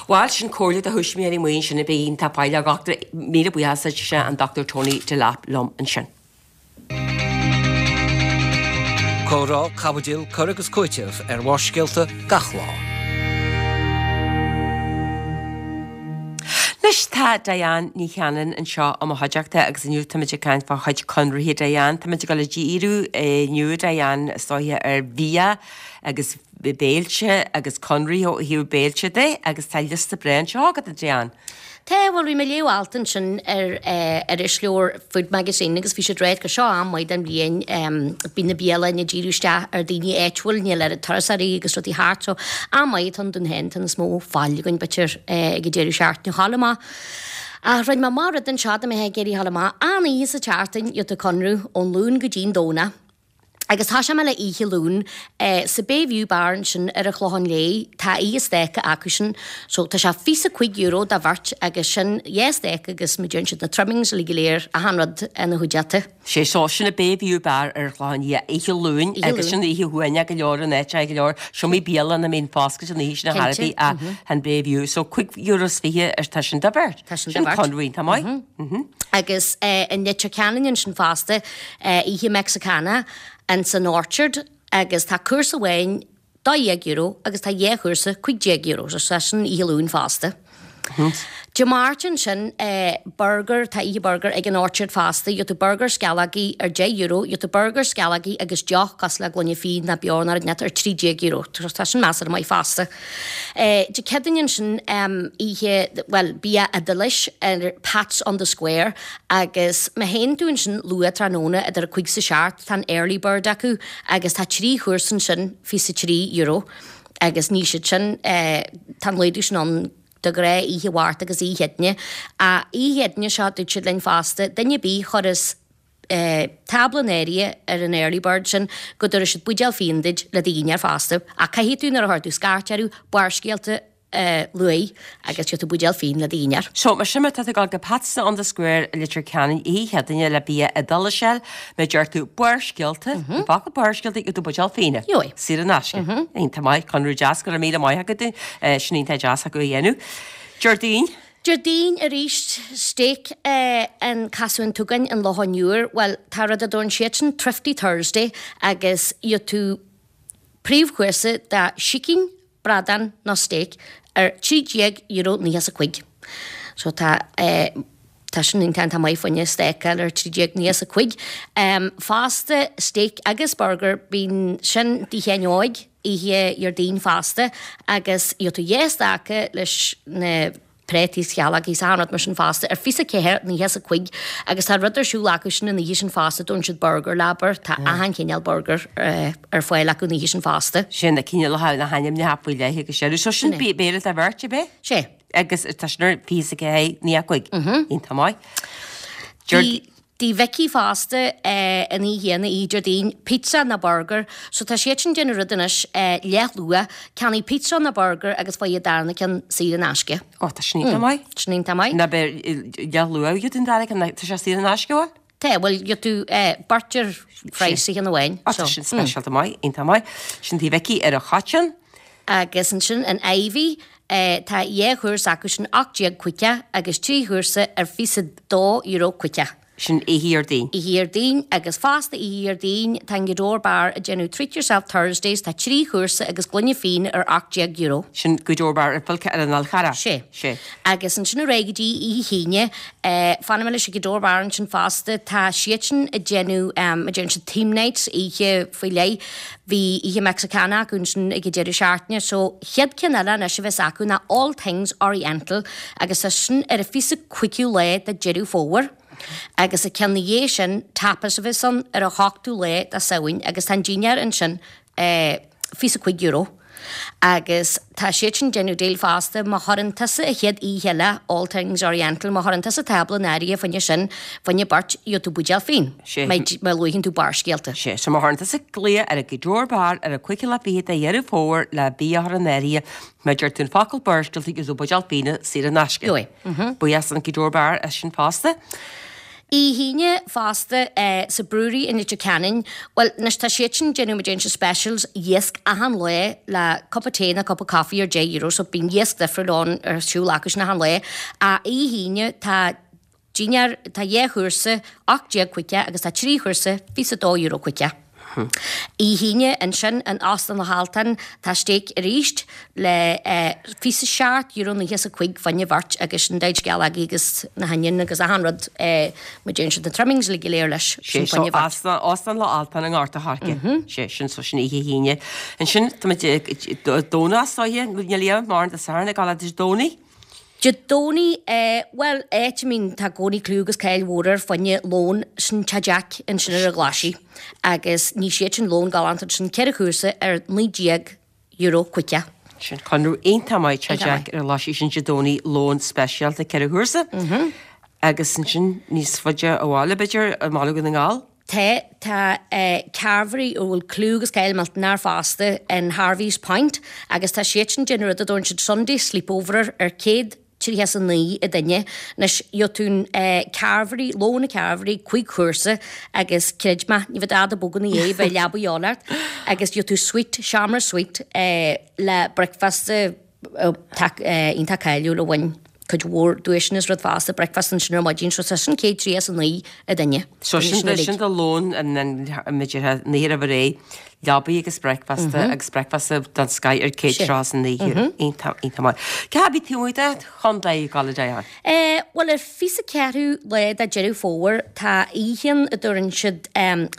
Bhuel, sin comhairle do thuismitheoirí amuigh ansin a bheidh iontach baile a dhochtúir. Míle buíochas duit, an Dr Tony Delap liom ansin. Comhrá, caibidil, cur agus cúiteamh ar Bharrscéalta gach lá. Anois tá Diane Ní Chanainn anseo i mo chuideachta agus inniu táimid ag caint fá chuid conraithe Diane. Táimid ag dul ag díriú inniu Diane is dóiche ar bhia agus béilte agus conraithe ó thaobh béilte de agus tá liosta breá anseo agat a Diane. Tá, bhuel bhí mé ag léamh alt ansin ar irisleabhar Food Magazine agus bhí siad ag ráit gur seo am maith den bhliain, bíonn na bialanna ag díriú isteach ar daoine áitiúil, níl oiread turasóirí agus rudaí thart so am maith atá ann dúinn féin, tá níos mó faill againn b'fhéidir ag an deireadh seachtaine a ghabháil amach. Ach rinne mé amach rud anseo dá mbeifeá ag iarraidh a ghabháil amach, achan oíche sa tseachtain gheobhaidh tú conradh ón Luan go dtí an Domhnach. Agus tosóidh mé le oíche Luain sa Bay View Bar ansin ar an Chlochán Léith, tá oíche stáca acusan. So tá sé €25 do bheirt agus sin dhá stáca agus mar a deireann siad na trimmings uilig go léir, achan rud ina chuideachta. Sé so sin an Bay View Bar ar an Chlochán Liath oíche Luain agus sin oíche shuaimhneach go leor in áit go leor seomraí bialanna a mbíonn foscailte an oíche sin ar chor ar bith ach an Bay View. So €25 ar tá sin do bheirt. Tá sin do bheirt. Sin conradh iontach maith. Agus i Leitir Ceanainn ansin fosta, oíche Mexicana ins an Orchard agus tá cúrsa amháin. €12 agus tá 2 chúrsa €15 so tá sin oíche Luain fosta. Dé Máirt ansin burger, tá oíche burger ag an Orchard fosta, gheobhaidh tú burger sceallógaí ar €10, gheobhaidh tú burger sceallógaí agus deoch cosúil le gloine fíon nó beoir nó rud inteacht ar €13, tá sin measartha maith fosta. Dé Céadaoin ansin oíche, bhuel bia Iodáilis ar Pat's on the Square agus má théann tú ansin luath tráthnóna idir a 5 's a 7 tá an early bird acu agus tá 3 chúrsa ansin €23 agus ní siad sin, tá an laghdú sin ann de ghnáth oíche Mháirt agus oíche Chéadaoine. Ach oíche Chéadaoine seo dúirt siad linn fosta, duine ar bith a chuireas tábla in áirithe ar an early bird sin go dtabharfaidh siad buidéal fíon duit le do dhinnéar fosta. Ach caithfidh tú nuair a chuir tú scairt orthu, Barrscéalta a luaigh agus gheobhaidh tú buidéal fíon le do dhinnéar. So, mar sin má tá tú ag dul go Pat's on the Square i Leitir Ceanainn oíche Chéadaoine le bia Iodáilis a fháil, má deir tú Barrscéalta, an focal Barrscéalta, gheobhaidh tú buidéal fíona. Gheobhaidh. Saor in aisce. Iontach maith, conradh deas, go raibh míle maith agat, sin iontach deas acu a dhéanamh. Déardaoin. Déardaoin arís, steak in Casú an tSúgáin an Locháin Úir, bhuel, tá rud a dtabharann siadsan Thrifty Thursday agus gheobhaidh tú príomhchúrsa de sicín, bradán nó steak ar €13.95. So tá eh tá sin iontach maith fá choinne steak a fháil ar 13.95. Fosta steak agus burger bíonn sin Tigh Sheáin Óig oíche Dhéardaoin fosta agus gheobhaidh tú dhá stáca leis na préataí is sceallógaí is achan rud mar sin fosta ar 24.95 agus tá rud ar siúl acu sin an oíche sin fosta, dtabharann siad burger leabar, tá achan chineál burger ar fáil acu an oíche sin fosta. Sin na cineálacha na hainmneacha faoi leith agus sin. So sin béile do bheirt, ab é? Sé. Agus tá sin ar 24.95. Iontach maith. Tigh Mhicí fosta an oíche chéanna, oíche Déardaoin, pizza nó burger. So tá siad sin ag déanamh rud anois, leathluach, ceannaigh pizza nó burger agus faigh an darna ceann saor in aisce. Ó, tá sin iontach maith. Sin iontach maith. Ná beidh leathluach gheobhaidh tú an dara ceann, tá sé saor in aisce, bhfuil? Tá, bhuel, gheobhaidh tú beirt ar phraghas an cheann amháin. Ó, tá sin speisialta maith, iontach maith. Sin Tigh Mhicí ar an Choiteann. Agus ansin an Ivy, tá dhá chúrsa acu sin, 18.50 agus trí chúrsa ar €22.50. Sin oíche Dhéardaoin. Oíche Dhéardaoin agus fosta oíche Dhéardaoin tá an Gweedore Bar ag déanamh Treat Yourself Thursdays, tá trí chúrsa agus gloine fíon ar €18. Sin Gweedore Bar ar Philce ar an Fhál Charrach. Sé. Sé. Agus ansin ar aghaidh go dtí oíche hAoine, fanfaidh mé leis an Gweedore Bar ansin fosta, tá siadsan ag déanamh, a deireann siad theme nights, oíche faoi leith. Bhí oíche Mexicana acu ansin ag an deireadh seachtaine so chéad ceann eile anois a bheas acu ná All Things Oriental agus tá sin ar an 25ú lá de Deireadh Fómhair agus an ceann ina dhiaidh sin Tapas a bheas ann ar an 8ú lá de Samhain agus tá an dinnéar ansin €25 agus tá siad sin déanamh deal fosta má chuireann tusa an chéad oíche eile All Things Oriental má chuireann tusa tábla in áirithe fá choinne sin fá choinne beirt gheobhaidh tú buidéal fíon Sé. má luaigheann tú Barrscéalta. Sé, so má chuireann tusa glaoch ar an Gweedore Bar ar an 25ú lá de Dheireadh Fómhair le bia a chur in áirithe má deir tú an focal Barrscéalta gheobhaidh tú buidéal fíona saor in aisce. Gheobhaidh. Buíochas don Gweedore Bar as sin fosta. Oíche hAoine fosta sa Brewery in Leitir Ceanainn, bhuel, anois tá siad sin ag déanamh mar a deireann siad specials iasc achan lá le cupa tae nó cupa coffee ar €10 so bíonn iasc difriúil ann ar siúl acu sin achan lá. Ach oíche hAoine tá dinnéar, tá dhá chúrsa €18.50 agus tá trí chúrsa €22.50. Oíche hAoine ansin in Óstán Loch Altan tá stéic arís le €27.95 fá choinne bheirt agus sin daid sceallógaí agus na hoinniúin agus achan rud mar deireann siad na trimmings uilig go léir leis sin fá choinne bheirt. Óstán Loch Altan i nGort a' Choirce. Sé sin so sin oíche hAoine. Ansin tá muid Domhnach is dóiche, níl a fhios mórán Dé Sathairn ag dul Dé Domhnaigh. Dé Domhnaigh, bhuel, áit a mbíonn, tá i gcónaí clú agus cáil mhór air fá choinne lón, sin Teach Jack ansin ar an Ghlaisigh. Agus ní siad sin lón galánta ansin, ceithre chúrsa ar €19.50. Sin conradh iontach maith Teach Jack ar an Ghlaisigh sin Dé Domhnaigh, lón speisialta ceithre chúrsa. Agus ansin níos faide abhaile b'fhéidir, i mBaile Dhún na nGall. Tá, tá carvery a bhfuil clú agus cáil millteanach air fosta in Harvey's Point agus tá siad sin ag déanamh rud a dtabharann siad Sunday Sleepover ar 139 an duine. Anois, gheobhaidh tú an carvery, lón an carvery, cúig chúrsa agus creid mé, ní bheidh dada bog ina dhiaidh, beidh leaba a dhíobháil ort agus gheobhaidh tú suite, seomra suite le bricfeasta, iontach cáiliúil a bhain cuid mhór duaiseanna is rud fosta, bricfeasta ansin ar maidin, so tá sin 139 an duine. So sin sin do lón an an b'fhéidir an oíche roimh ré. Leabaí agus bricfeasta agus bricfeasta den scoith ar €139. Iontach, iontach maith. Cé a bhí taobh amuigh de chontae ag gabháil a Diane? Eh, bhuel ar 24ú lá de Deireadh Fómhair tá oíche ann a dtabharann siad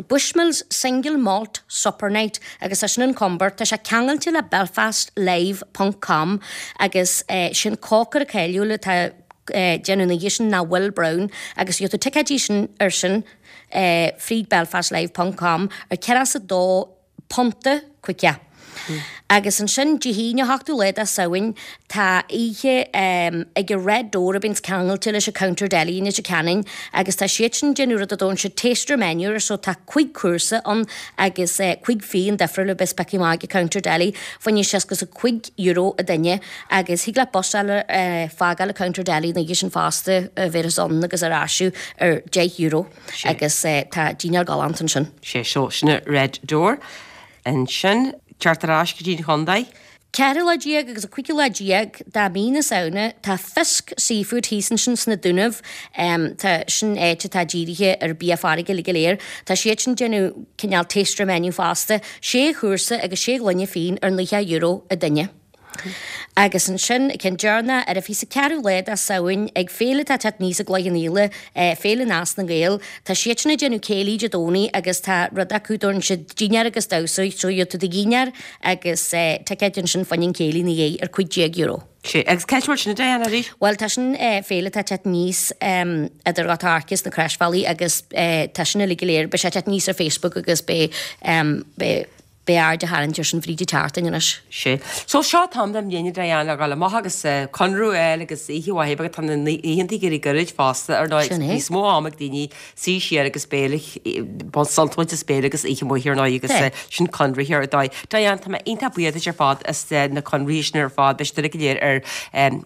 Bushmills Single Malt Supper Night agus tá sin in Comber. Tá sé ceangailte le Belfast Live ponc com agus sin cócaire cáiliúil atá ag déanamh an oíche sin ná Will Brown agus gheobhaidh tú ticéidí sin ar sin fríd belfastlive ponc com ar 42 punta caoga. Agus ansin Dé hAoine 8ú lá de Samhain tá oíche ag an Red Door a bíonns ceangailte leis an Counter Deli i Leitir Ceanainn agus tá siad sin ag déanamh rud a dtabharann siad taster menu air so tá cuig cúrsa ann agus cuig fíon difriúil a bheas pioctha amach ag an Counter Deli fá choinne €65 a duine agus thig leat bus a fhágáil ag Counter Deli an oíche sin fosta a bhéarfas ann agus ar ais thú ar €10 agus tá dinnéar galánta ansin. Sé so sin an Red Door ansin. Teacht ar ais go dtí an chontae. Ceathrú lá déag agus an cúigiú lá déag de mhí na Samhna tá Fisk Seafood thíos ansin sna Dúnaibh. Tá sin áit atá dírithe ar bia farraige uilig go léir. Tá siad sin ag déanamh cineál taster menu fosta. Sé chúrsa agus sé ghloine fíon ar €90 a duine. Agus ansin, ceann deireanach, ar an 24ú lá de Samhain, ag féile atá ag teacht aníos i gCloich Cheann Fhaola, Féile Nás na nGael, tá siad sin ag déanamh céilí Dé Domhnaigh agus tá rud acu, dtabharann siad dinnéar agus damhsa, so gheobhaidh tú do dhinnéar agus ticéid ansin fá choinne an céilí ina dhiaidh ar €15. Sé, agus cá bhfuil sin a Diane arís? Bhuel, tá sin féile atá ag teacht aníos idir Ghort an Choirce is na Croisbhealaí agus tá sin uilig go léir, beidh sé ag teacht aníos ar Facebook agus beidh, beidh, Beidh aird á tharraingt air sin fríd an tseachtain anois. Sé. So seo an t-am den mbliain a Diane le dhul amach agus conradh a fháil agus oíche mhaith agus tá na oícheanta ag éirí gairid fosta ar ndóigh Sin é. níos mó am ag daoine suí siar agus béile sult a bhaint as béile agus oíche mhaith ar ndóigh agus Tá. sin conradh ar ndóigh. Diane tá mé iontach buíoch duit ar fad as na conraí sin ar fad beidh siad uilig go léir ar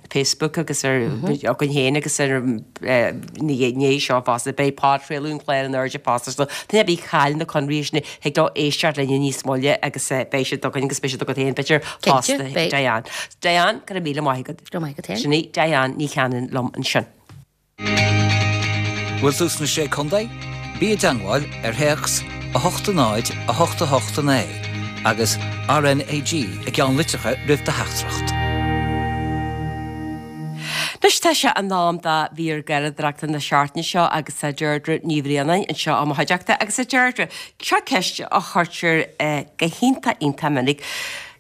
Facebook agus ar againn féin agus ar na gné seo fosta beidh podchraoladh an chláir in airde fosta so duine ar bith a chaill na conraí sin thig leo éisteacht linn níos moille agus beidh siad againn agus beidh siad agat féin b'fhéidir fosta Diane. Diane, go raibh míle maith agat. Go raibh maith agat féin. Sin í Diane Ní Chanainn liom ansin. Bhfuil tú sna Sé Contae? Bí i dteangmháil ar théacs 8 0 8 8 9 agus RnaG i gceannlitreacha roimh do theachtaireacht. Anois tá sé in am do mhír garraíodóireachta na seachtaine seo agus tá Deirdre Ní Bhraonáin anseo i mo chuideachta agus a Deirdre, seo ceist a chuirtear go hiontach iontach minic,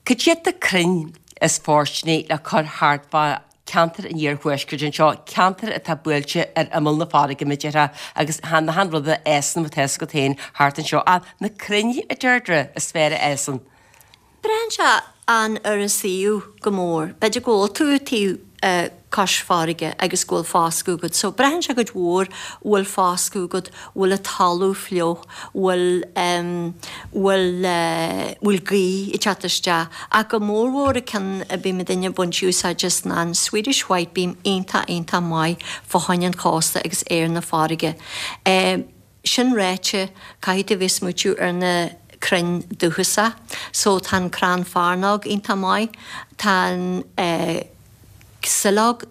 cad iad na crainn is fóirsteanaí le cur thart fá ceantar an iarthuaiscirt anseo, ceantar atá buailte ar imeall na farraige mar a déarfá agus chan achan rud a fhásann mar atá fhios agat féin thart anseo ach na crainn a Deirdre is fearr a fhásann. Braitheann sé an ar an suíomh go mór. B'fhéidir go bhfuil tú taobh cois farraige agus go bhfuil foscadh agat. So braitheann sé cuid mhór bhfuil foscadh agat, bhfuil an talamh fliuch, bhfuil bhfuil bhfuil gaoth ag teacht isteach. Ach go mórmhór an ceann a bíonn muidinne ag baint úsáid as ná an Swedish White Beam iontach iontach maith fá choinne an chósta agus ar na farraige. Sin ráite, caithfidh tú a bheith ag smaoitiú ar na crainn dúchasach. So tá an crann fearnóg iontach maith, tá an sileog,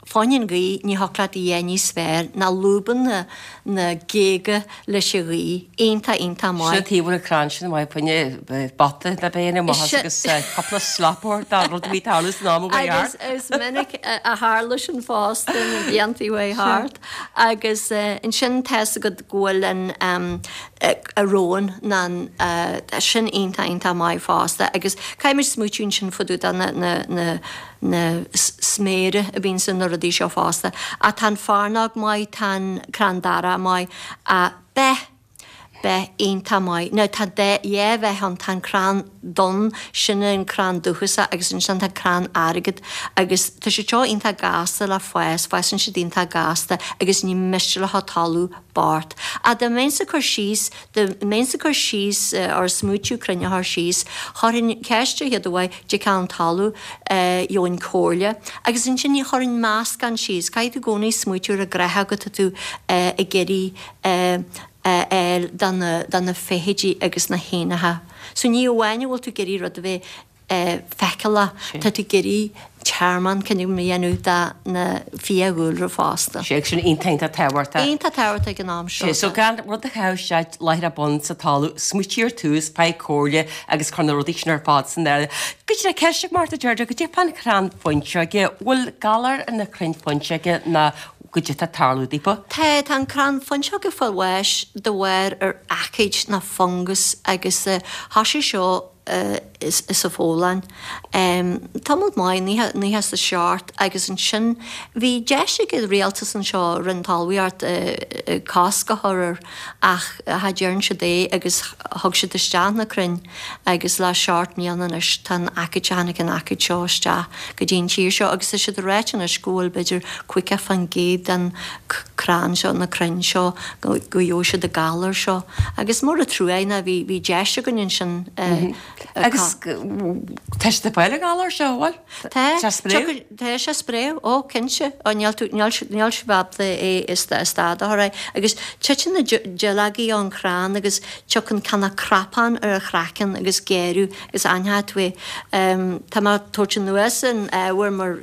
fá choinne an ghaoth, ní thiocfadh leat a dhath níos fearr ná lúbann na na géaga leis an ghaoth, iontach iontach Sin maith. an taobh an crann sin maith fá choinne bata na béine amach as agus cúpla slap dá rud a bhí tarlú san am a bhí Agus thart. is minic a tharla sin fosta na blianta a bhí thart. Agus ansin tá's agat go bhfuil an a rowan ná an sin iontach iontach maith fosta agus caithfidh muid smaoitiú ansin fá dtaobh de na na na na sméara a bhíonn sna rudaí seo fosta. Ach tá an fearnóg maith, tá an crann darach maith ach beith Beith iontach maith. Now tá dhá bheith ann, tá an crann donn, sin an crann dúchasach agus ansin tá an crann airgid agus tá siad seo iontach gasta le fás, fásann siad iontach gasta agus ní miste leo talamh bocht. Ach dá mbeinnse ag cur síos, dá mbeinnse ag cur síos or smaoitiú crainn a chur síos, chuirfinn ceist ar chéad uaidh cad é an talamh, gheobhainn comhairle agus ansin chuirfinn meascán síos, caithfidh tú i gcónaí smaoitiú ar an gcreathóg atá tú ag iarraidh a fháil do na do na feithidí agus na héanacha. So ní amháin a bhfuil tú ag iarraidh rud a bheith. feiceálach, tá tú ag iarraidh tearmann cineál a dhéanamh do na fiadhúlra fosta. Sé sin iontach iontach tábhachtach. Iontach tábhachtach ag an am seo. Sé, so gan rud a chaitheamh isteach láithreach bonn sa talamh, smaoitigh ar tús, faigh comhairle agus cuir na rudaí sin ar fad san áireamh. Goidé ceist ag Martha Deirdre, goidé fán chrann fuinseoige, bhfuil galar ar na crainn fuinseoige ná goidé tá ag tarlú daofa? Tá, tá an crann fuinseoige ag fáil bháis de bharr ar aicíd ná fungas agus thoisigh seo sa Phólainn. Tamall maith, 97 agus ansin bhí deis ag an rialtas anseo, Roinn Talmhaíocht, cosc a chur air ach cha dtearn siad é agus thug siad isteach na crainn agus le seacht mbliana anois tá an aicíd, tháinig an aicíd seo isteach go dtí an tír seo agus tá siad ag ráit anois go bhfuil b'fhéidir 50% den crann seo, na crainn seo, go gheobhaidh siad an galar seo. Agus mór an trua é ná bhí, bhí deis againn ansin. Agus tá siad ag fáil an galar seo, an bhfuil? Tá, tá tá sé ag spréadh, ó cinnte, ó níl tú, níl, níl sibh ábalta é a stad a chur air. Agus titeann na duilleogaí ón chrann agus tiocfaidh cineál cnapán ar an chraiceann agus géarú agus aithneoidh tú é. Tá mé ag tabhairt anuas an ábhar mar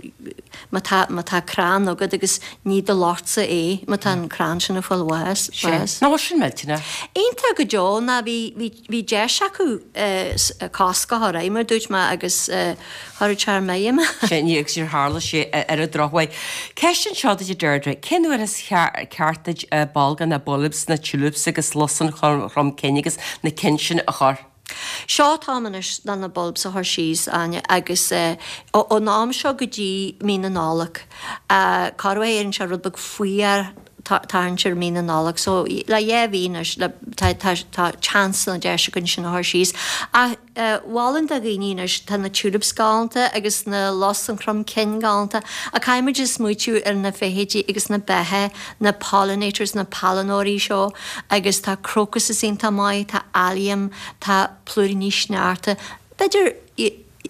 má tá, má tá crann agat agus ní do lochtsa é má tá an crann sin ag fáil bháis, Sé. bás. Nach bhfuil sin millteanach? Iontach go deo ná bhí, bhí, bhí deis acu cosc a chur air mar dúirt mé agus cha raibh sé ar maidhm. Sé, ní, agus níor tharla sé ar an drochuair. Ceist anseo duit a Deirdre, cén uair is ceart duit bolgáin na bulbs, na tulips agus lus an chrom cinn agus na cinn sin a chur? Seo an t-am anois le na bulbs a chur síos, Áine, agus ón am seo go dtí mí na Nollag, corruair éiríonn sé rud beag fuar tarraingt ar mí na Nollag, so le dhá mhí anois le tá tá tá chance nó deis againn sin a chur síos. Ach mholfainn do dhaoine anois, tá na tulips galánta agus na lus an chrom cinn galánta, ach caithfimid a smaoitiú ar na feithidí agus na beithe, na pollinators, na pailneoirí seo agus tá crocuses iontach maith, tá allium, tá plúiríní sneachta, b'fhéidir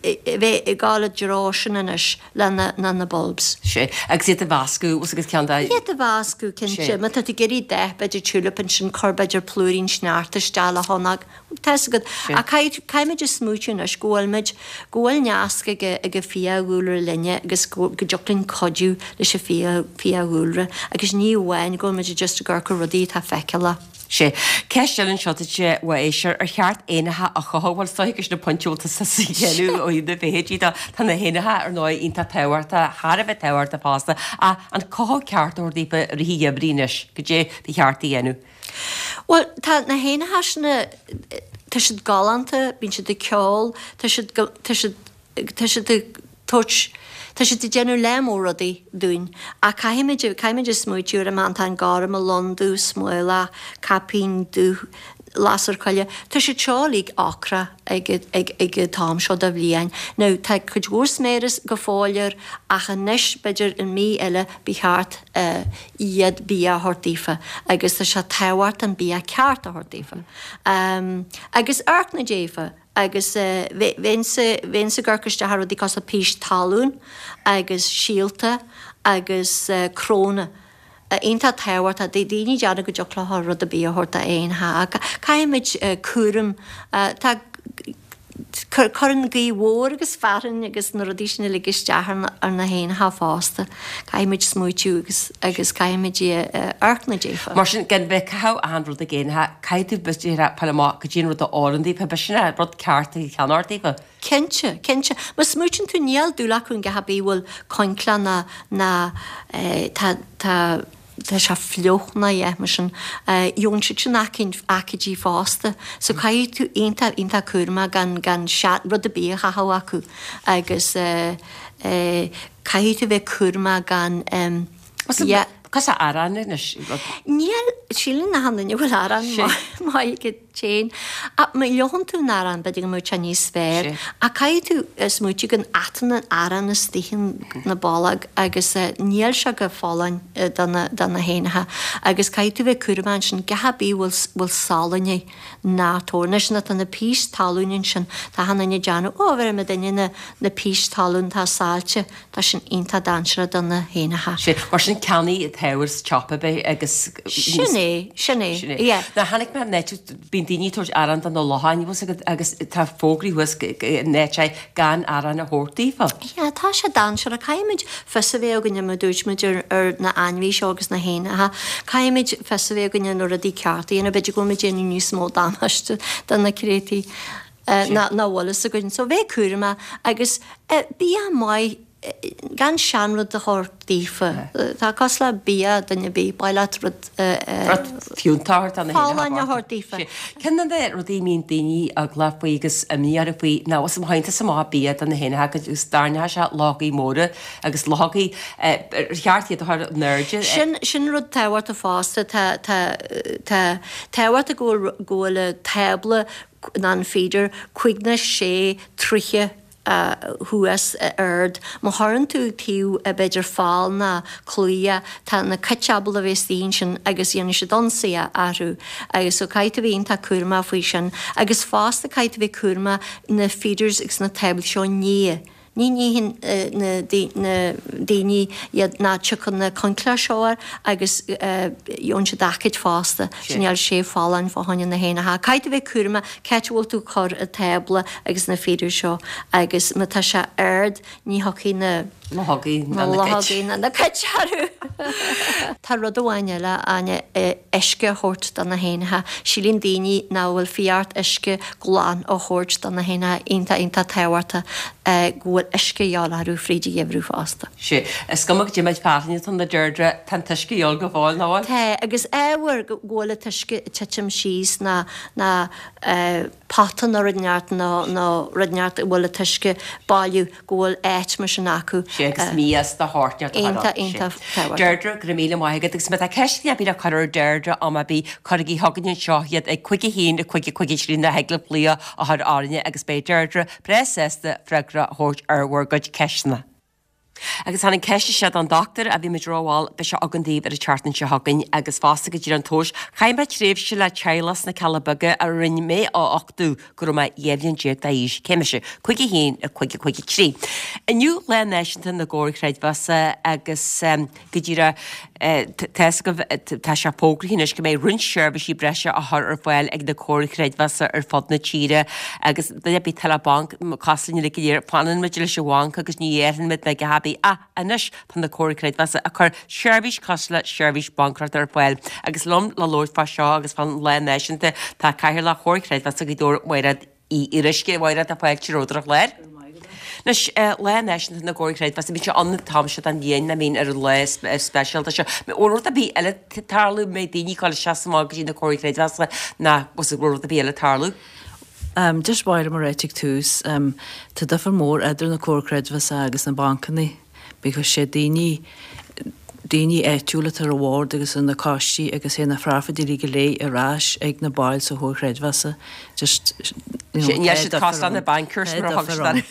a bheith ag gabháil i dtreo sin anois le na, na, na bulbs. Sé, agus iad a mheascadh, bhfuil agus ceann de. Iad a mheascadh, cinnte. Sé. Má tá tú ag iarraidh dath, b'fhéidir tulip ansin, cuir b'fhéidir plúirín sneachta isteach le hionadh. Tá 'fhios agat. Ach caithfidh, caithfimid a smaoitiú anois go bhfuil muid, go bhfuil nasc ag ag an fiadhúlra linne agus go, go dtiocfadh linn cuidiú leis an fia, fiadhúlra agus ní amháin go bhfuil muid just ag amharc ar rudaí atá feiceálach. Sé. Ceist eile anseo duit ó éisteoir, ar cheart éanacha a chothú? Bhuel, is dóiche gur sin an pointe a bhfuil tusa ag déanamh ó thaobh na bhfeithidí de. Tá na héanacha, ar ndóigh, iontach tábhachtach, thar a bheith tábhachtach fosta, ach an cothú ceart a thabhairt daofa i rith an gheimhridh anois, goidé ba cheart a dhéanamh? Bhuel, tá na héanacha sin, tá siad galánta, bíonn siad ag ceol, tá siad go, tá siad, tá siad ag tabhairt, tá siad ag déanamh lear mór rudaí dúinn. Ach caithfimid, caithfimid a smaoitiú ar an mantán gorm, an lon dubh, smólach, caipín dubh, lasair choille, tá siad seo uilig ocrach ag, ag, ag an t-am seo de bhliain. Now, tá cuid mhór sméara go fóill air ach anois, b'fhéidir an mí eile, ba cheart iad bia a thabhairt daofa agus tá sé tábhachtach an bia ceart a thabhairt daofa. Agus amharc daofa agus bheinnse bheinnse ag amharc isteach ar rudaí cosúil le pís talún agus síolta agus cróna. Iontach tábhachtach. Daoine ag déanamh go dtiocfadh leo rud ar bith a thabhairt d'éanacha ach caithfimid cúram tá Cuireann gaoth mhór agus fearthainn agus na rudaí sin uilig isteach ar na héanacha fosta. Caithfimid smaoitiú agus agus caithfimid amharc daofa. Mar sin, gan bheith ag caitheamh achan rud ag éanacha, caithfidh tú b'fhéidir fáil amach goidé an rud a oireann daofa, b'shin an rud ceart a cheannacht daofa. Cinnte, cinnte. Má smaoitíonn tú níl dúil acu in a dhath ar bith a bhfuil coincleach ná ná tá tá tá sé fliuch ná a dhath mar sin. Gheobhann siad sin aicídí fosta. So caithfidh tú iontach, iontach cúramach gan, gan rud ar bith a chaitheamh acu agus caithfidh tú bheith cúramach gan yeah. Cosúil arán anois. Níl, síleann achan duine go bhfuil arán maith ag d'éin. Ach má fhliuchann tú an arán, b'fhéidir go mbeadh sé níos fearr. Ach caithfidh tú smaoitiú go n-atann an arán istigh na bolg agus níl sé go folláin do na do na héanacha. Agus caithfidh tú bheith cúramach ansin, a dhath ar bith bhfuil bhfuil salann air, ná tabhair. Anois nuair atá na pís talún ansin, tá achan duine ag déanamh, ó bheir mo duine na na pís talún atá saillte. Tá sin iontach dainséarach do na héanacha. Sea, mar sin ceannaigh an t-ábhar sa tsiopa ab é agus. Sin é, sin é, yeah. Now chonaic mé an áit, bíonn. Bíonn daoine ag tabhairt arán do na locháin, bhfuil 's agat, agus tá fógraí thuas in áit gan arán a thabhairt daofa. Yeah, tá sé dainséarach. Caithfimid fios a bheith againne, mar dúirt muid, ar ar na ainmhithe seo agus na héanacha. Caithfimid fios a bheith againne na rudaí cearta a dhéanamh. B'fhéidir go bhfuil muid ag déanamh níos mó damáiste do na créatúirí ná ná bhfuil fhios againn. So bheith cúramach agus bia maith, gan seanrud a thabhairt daofa. Tá cosúil le bia duine ar bith, ba mhaith leat rud Rud fiúntach a thabhairt do na héanacha folláin a thabhairt daofa. Ceann de na rudaí a mbíonn daoine eaglach faoi agus imní orthu faoi ná bhfuil má théann tusa amach bia do na héanacha agus tarraingeoidh sé luchógaí móra agus luchógaí ar cheart iad a chur in airde. Sin sin rud tábhachtach fosta tá tá tá tábhachtach go bhfuil go bhfuil tábla ná an feeder 5 ná 6 troithe thuas ard. Má chuireann tú taobh b'fhéidir fál ná claí, tá na cait ábalta a bheith istigh ansin agus dhéanfaidh siad ionsaí orthu agus so caithfidh tú bheith iontach cúramach faoi sin. Agus fosta caithfidh tú bheith cúramach na feeders agus na táblaí seo a ní. Ní níonn na daoine iad ná tiocfaidh na coincléir seo air agus gheobhann siad aicíd fosta. So níl sé folláin fá choinne na héanacha. Caithfidh tú bheith cúramach cá háit a bhfuil tú ag cur an tábla agus na feeders seo agus má tá sé ard ní thiocfaidh na luchógaí ná na luchógaí ná na cait orthu. Tá rud amháin eile, Áine, uisce a thabhairt do na héanacha. Síleann daoine nach bhfuil fiú uisce glan a thabhairt do na héanacha iontach iontach tábhachtach go bhfuil uisce a dhíobháil orthu fríd an gheimhreadh fosta. Sea, is cuma goidé méid fearthainne atá ann a Deirdre, tá an t-uisce a dhíobháil go fóill, nach bhfuil? Tá, agus ábhar go bhfuil an t-uisce ag titim síos ná ná pota nó rud inteacht nó nó rud inteacht a bhfuil an t-uisce bailithe go bhfuil áit mar sin acu. Sea, agus mias de shórt inteacht a chur ann. Iontach, iontach tábhachtach. Deirdre, go raibh míle maith agat. Agus má tá ceisteanna ar bith le cur ar Deirdre am ar bith, cuirigí chugainn anseo iad ag 5 1 5 5 3 nó thig libh glaoch a chur orainne agus beidh Deirdre breá sásta freagra a thabhairt ar bhur gcuid ceisteanna. Agus tháinig ceist isteach don dochtúir a bhí muid rómhall, beidh sé againn daoibh ar an tseachtain seo chugainn agus fosta go díreach an tomhais. Chaith mé tréimhse le teaghlach sna Cealla Beaga a rinne mé a uchtú go raibh mé 12 bhliain d'aois. Cé mise? 5 1 5 5 3. Inniu Lá Náisiúnta na gComhar Creidmheasa agus go díreach tá fhios agaibh tá sé fógraithe anois go mbeidh roinnt seirbhísí breise á chur ar fáil ag na comhair chreidmheasa ar fud na tíre agus duine ar bith atá le banc cosúil linn go léir fanann muid leis an bhanc agus ní athraíonn muid ná a dhath ar bith ach anois tá na comhair chreidmheasa ag cur seirbhís cosúil le seirbhís baincéireachta ar fáil agus liom le labhairt fá seo agus fán lá náisiúnta tá Cathaoirleach Chomhar Creidmheasa Ghaoth Dobhair Mairéad Uí Fhíoruisce, Mhairéad, tá fáilte romhat ar an chlár. Anois, Lá Náisiúnta na gComhar Creidmheasa, bíonn sé ann an t-am seo den bhliain, I mean ar an lá speisialta seo. Bhfuil rud ar bith eile ag tarlú, mbeidh daoine ag dul isteach is amach go dtí na Comhair Chreidmheasa nó bhfuil rud ar bith eile ag tarlú? Just ba mhaith liom a ráit ag tús, tá difear mór idir na Comhair Creidmheasa agus na bancanna. Because sé daoine, daoine áitiúla atá ar an bhord agus ar na coistí agus théann na profit uilig go léir ar ais ag na baill sa Chomhar Creidmheasa. Just, you know, Sé, tá siad cosúil le na bankers mar a thug siad orthu.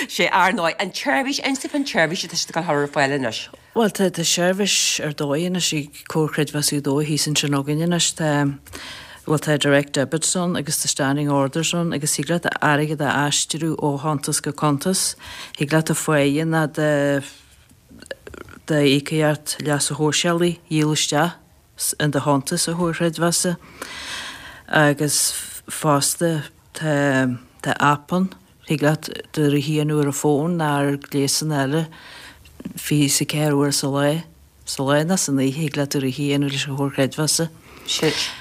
Sé, ar ndóigh, an tseirbhís, inis dúinn fán tseirbhís atá siad ag dul a chur ar fáil anois. Bhuel, tá, tá seirbhís ar dóigh anois ag Comhar Creidmheasa Ghaoth Dobhair thíos ansin againn anois. Tá, bhuel tá direct debits ann agus tá standing orders ann agus thig leat airgead a aistriú ó chuntas go cuntas. Thig leat do pháighe ná do d'íocaíocht leasa shóisialaigh a dhíol isteach in do chuntas sa Chomhar Chreidmheasa. Agus fosta tá tá aip ann, thig leat do rudaí a dhéanamh ar an bhfón ná ar ghléasanna eile 24 uair sa lá. Sa lá ná san oíche thig leat do rudaí a dhéanamh leis an Chomhar Creidmheasa.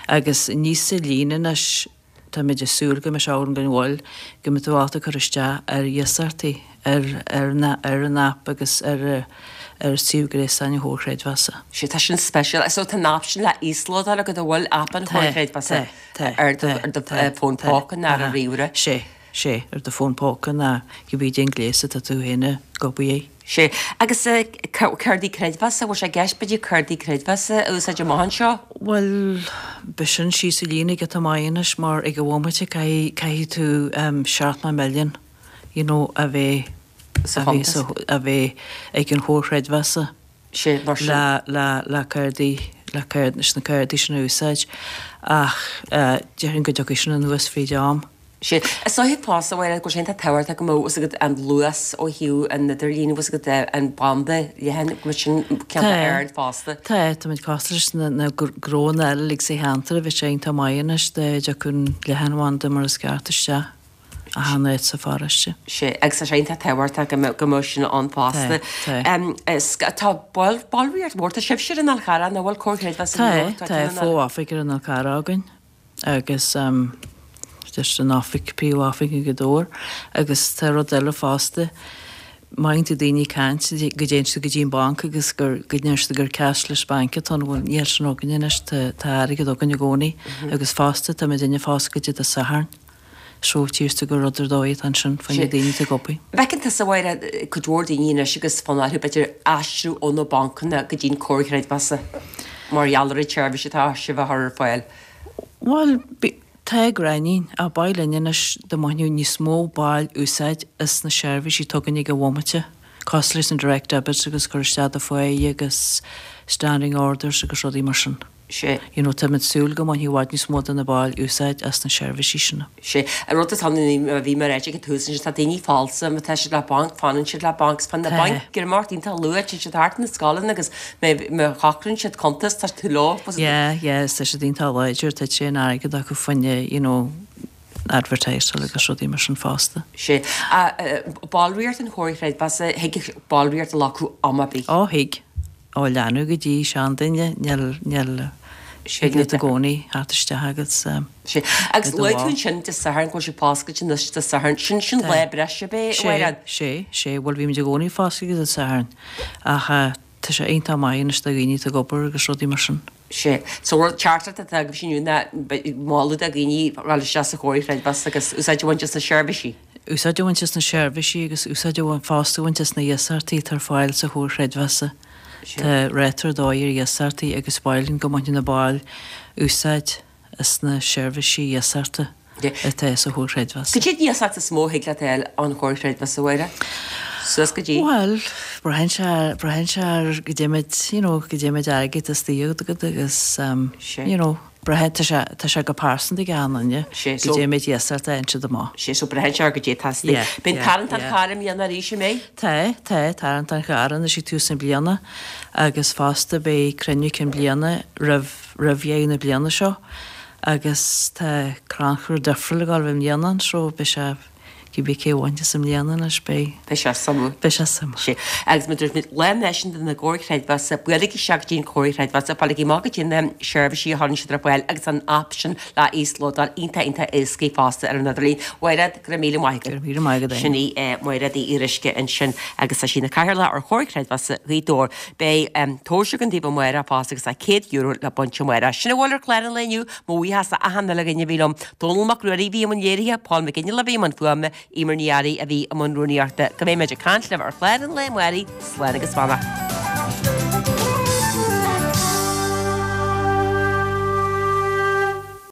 Agus níos sa líne anois táimid ag súil go mbeidh sé ann gan mhoill, go mbeidh tú ábalta cur isteach ar iasachtaí ar ar ar an aip agus ar ar suíomh gréasáin an Chomhar Creidmheasa. Sea, tá sin speisialta. So tá an aip sin le íoslódáil agat an bhfuil aip an Chomhar Creidmheasa ar do ar do fón póca nó ar an ríomhaire? Sea. Sea, ar do fón póca ná cibé cén gléas atá tú féin ag obair air. Sea, agus cártaí creidmheasa, bhfuil sé i gceist b'fhéidir cártaí creidmheasa a úsáid amach anseo? Bhuel, beidh sin síos an líne giota maith anois mar ag an bhomaite caithfidh, caithfidh tú seacht million, you know, a bheith, Sa a bheith sa, a bheith ag an Chomhar Chreidmheasa. Sea, mar sin. Le, le, le cártaí, le cárd, leis na cártaí sin a úsáid ach déarfainn go dtiocfaidh sin anuas fríd am. Sea. Is dóiche fosta, a Mháire, go bhfuil sé iontach tábhachtach go mbeadh fhios agat an luas ó thaobh an idirlín, fhios agat an banda leathan, go mbeadh sin ceann ard fosta. Tá, táimid cosúil leis na gnóanna eile uilig sa cheantar, bheadh sé iontach maith anois dá dtiocfadh an leathanbhanda mar is ceart isteach achan áit sa pharóiste. Sea, agus tá sé iontach tábhachtach go mbeadh go mbeadh sin ann fosta. Tá, tá. Tá ballraíocht mhór, tá sibhse ar an Fhál Charrach, nach bhfuil Comhar Creidmheasa Tá, tá fo-oifig ar an Fhál Charrach againn. agus just an oifig, príomh-oifig i nGaoth Dobhair agus tá rud eile fosta, má fhaigheann tú daoine ag caint go dtéann siad go dtí an banc agus gur, go ndeir siad gur cashless bank atá ann, bhuel níl sin againne anois, tá, tá airgead againn i gcónaí agus fosta tá muidinne foscailte Dé Sathairn. So tchíos tú gur rud ar dóigh atá ansin fá choinne daoine atá ag obair. Feiceann tusa, a Mháire, cuid mhór daoine anois agus fonn orthu b'fhéidir aistriú ó na bancanna go dtí an Comhar Creidmheasa mar gheall ar an tseirbhís atá sibh a chur ar fáil. Bhuel, tá gráinnín, ach ba mhaith linn anois dá mbainfeadh níos mó baill úsáid as na seirbhísí atá againn ag an bhomaite, cosúil leis na direct debits agus cur isteach do pháighe agus standing orders agus rudaí mar sin. Sea. You know, táimid súil go mbainfidh i bhfad níos mó de na baill úsáid as na seirbhísí sin. Sea. An rud atá ann, a bhí mé a ráit ag an tús ansin, tá daoine falsa, má tá siad le banc, fanann siad le banc, 's fanann na Tá. bainc ag imeacht iontach luath, téann siad thart na scoileanna agus má má shocraíonn siad cuntas, tá tú leo. Yeah, yeah, is tá siad iontach láidir, tá tréan airgead acu fá choinne, you know, advertisáil agus rudaí mar sin fosta. Sea. Ballraíocht an Chomhair Chreidmheasa, thig ballraíocht a ghlacadh am ar bith. Ó, thig. Ó leanbh go dtí seanduine, níl, níl, thig leat i gcónaí theacht isteach agus Sea. Agus luaigh tú ansin Dé Sathairn go bhfuil sibh foscailte anois Dé Sathairn. Sin, sin lá breise ab é, a Sé, Mháire? sé, sé. Bhuel bhímid i gcónaí foscailte Dé Sathairn ach tá sé iontach maith anois do dhaoine atá ag obair agus rudaí mar sin. Sea. So rud teachtaireacht atá agaibhse inniu ná moladh do dhaoine dhul isteach sa Chomhar Chreidmheasa agus úsáid a bhaint as na seirbhísí. Úsáid a bhaint as na seirbhísí agus úsáid a bhaint fosta a bhaint as na hiasachtaí atá ar fáil sa Chomhar Chreidmheasa. Tá ráta ar dóigh ar iasachtaí agus ba mhaith linn go mbainfeadh na baill úsáid as na seirbhísí iasachta atá sa Chomhar Chreidmheasa. Cad é an iasacht is mó a thig leat a fháil ón Chomhar Chreidmheasa, a Mháire? Suas go dtí? Bhuel, braitheann sé, braitheann sé ar goidé méid, you know, goidé méid airgid istigh agat agus, you know, braitheann, tá sé, tá sé go pearsanta ag achan duine, goidé méid iasacht a fhaigheann siad amach. Sea, so braitheann sé ar goidé atá istigh. Yeah, Bíonn yeah, tarraingt an yeah. chairr i mbliana arís, an mbeidh? Tá, tá, tarraingt an chairr anois ag tús na bliana agus fosta beidh cruinniú cinn bliana roimh, roimh dheireadh na bliana seo agus tá crannchur difriúil ag dul i mbliana ann so beidh sé, Cibé cé a bhainfeas i mbliana anois, beidh. Beidh sé suimiúil. Beidh sé suimiúil. Sea. Agus mar a dúirt muid, Lá Náisiúnta na gComhar Creidmheasa, buailigí isteach go dtí an Comhar Creidmheasa, fáiligí amach goidé na seirbhísí a chuireann siad ar fáil agus an aip sin le íoslódáil iontach iontach éascaí fosta ar an idirlíon. Mhairéad, go raibh míle maith agat. Go raibh míle maith agat, Sin í Mairéad Uí Fhíoruisce ansin agus tá sí ina Cathaoirleach ar Chomhar Creidmheasa Ghaoth Dobhair. Beidh tomhais againn daoibh amárach fosta agus tá €100 le baint amárach. Sin a bhfuil ar chlár an lae inniu. Mo bhuíochas d'achan uile dhuine a bhí liom. Dónall Mac Ruairí a bhí i mbun léirithe, Paul McGinley a bhí i mbun fuaime, Eimear Ní Fhearraigh a bhí i mbun rúnaíochta. Go mbeidh muid ag caint libh ar chlár an lae amárach, slán agus beannacht.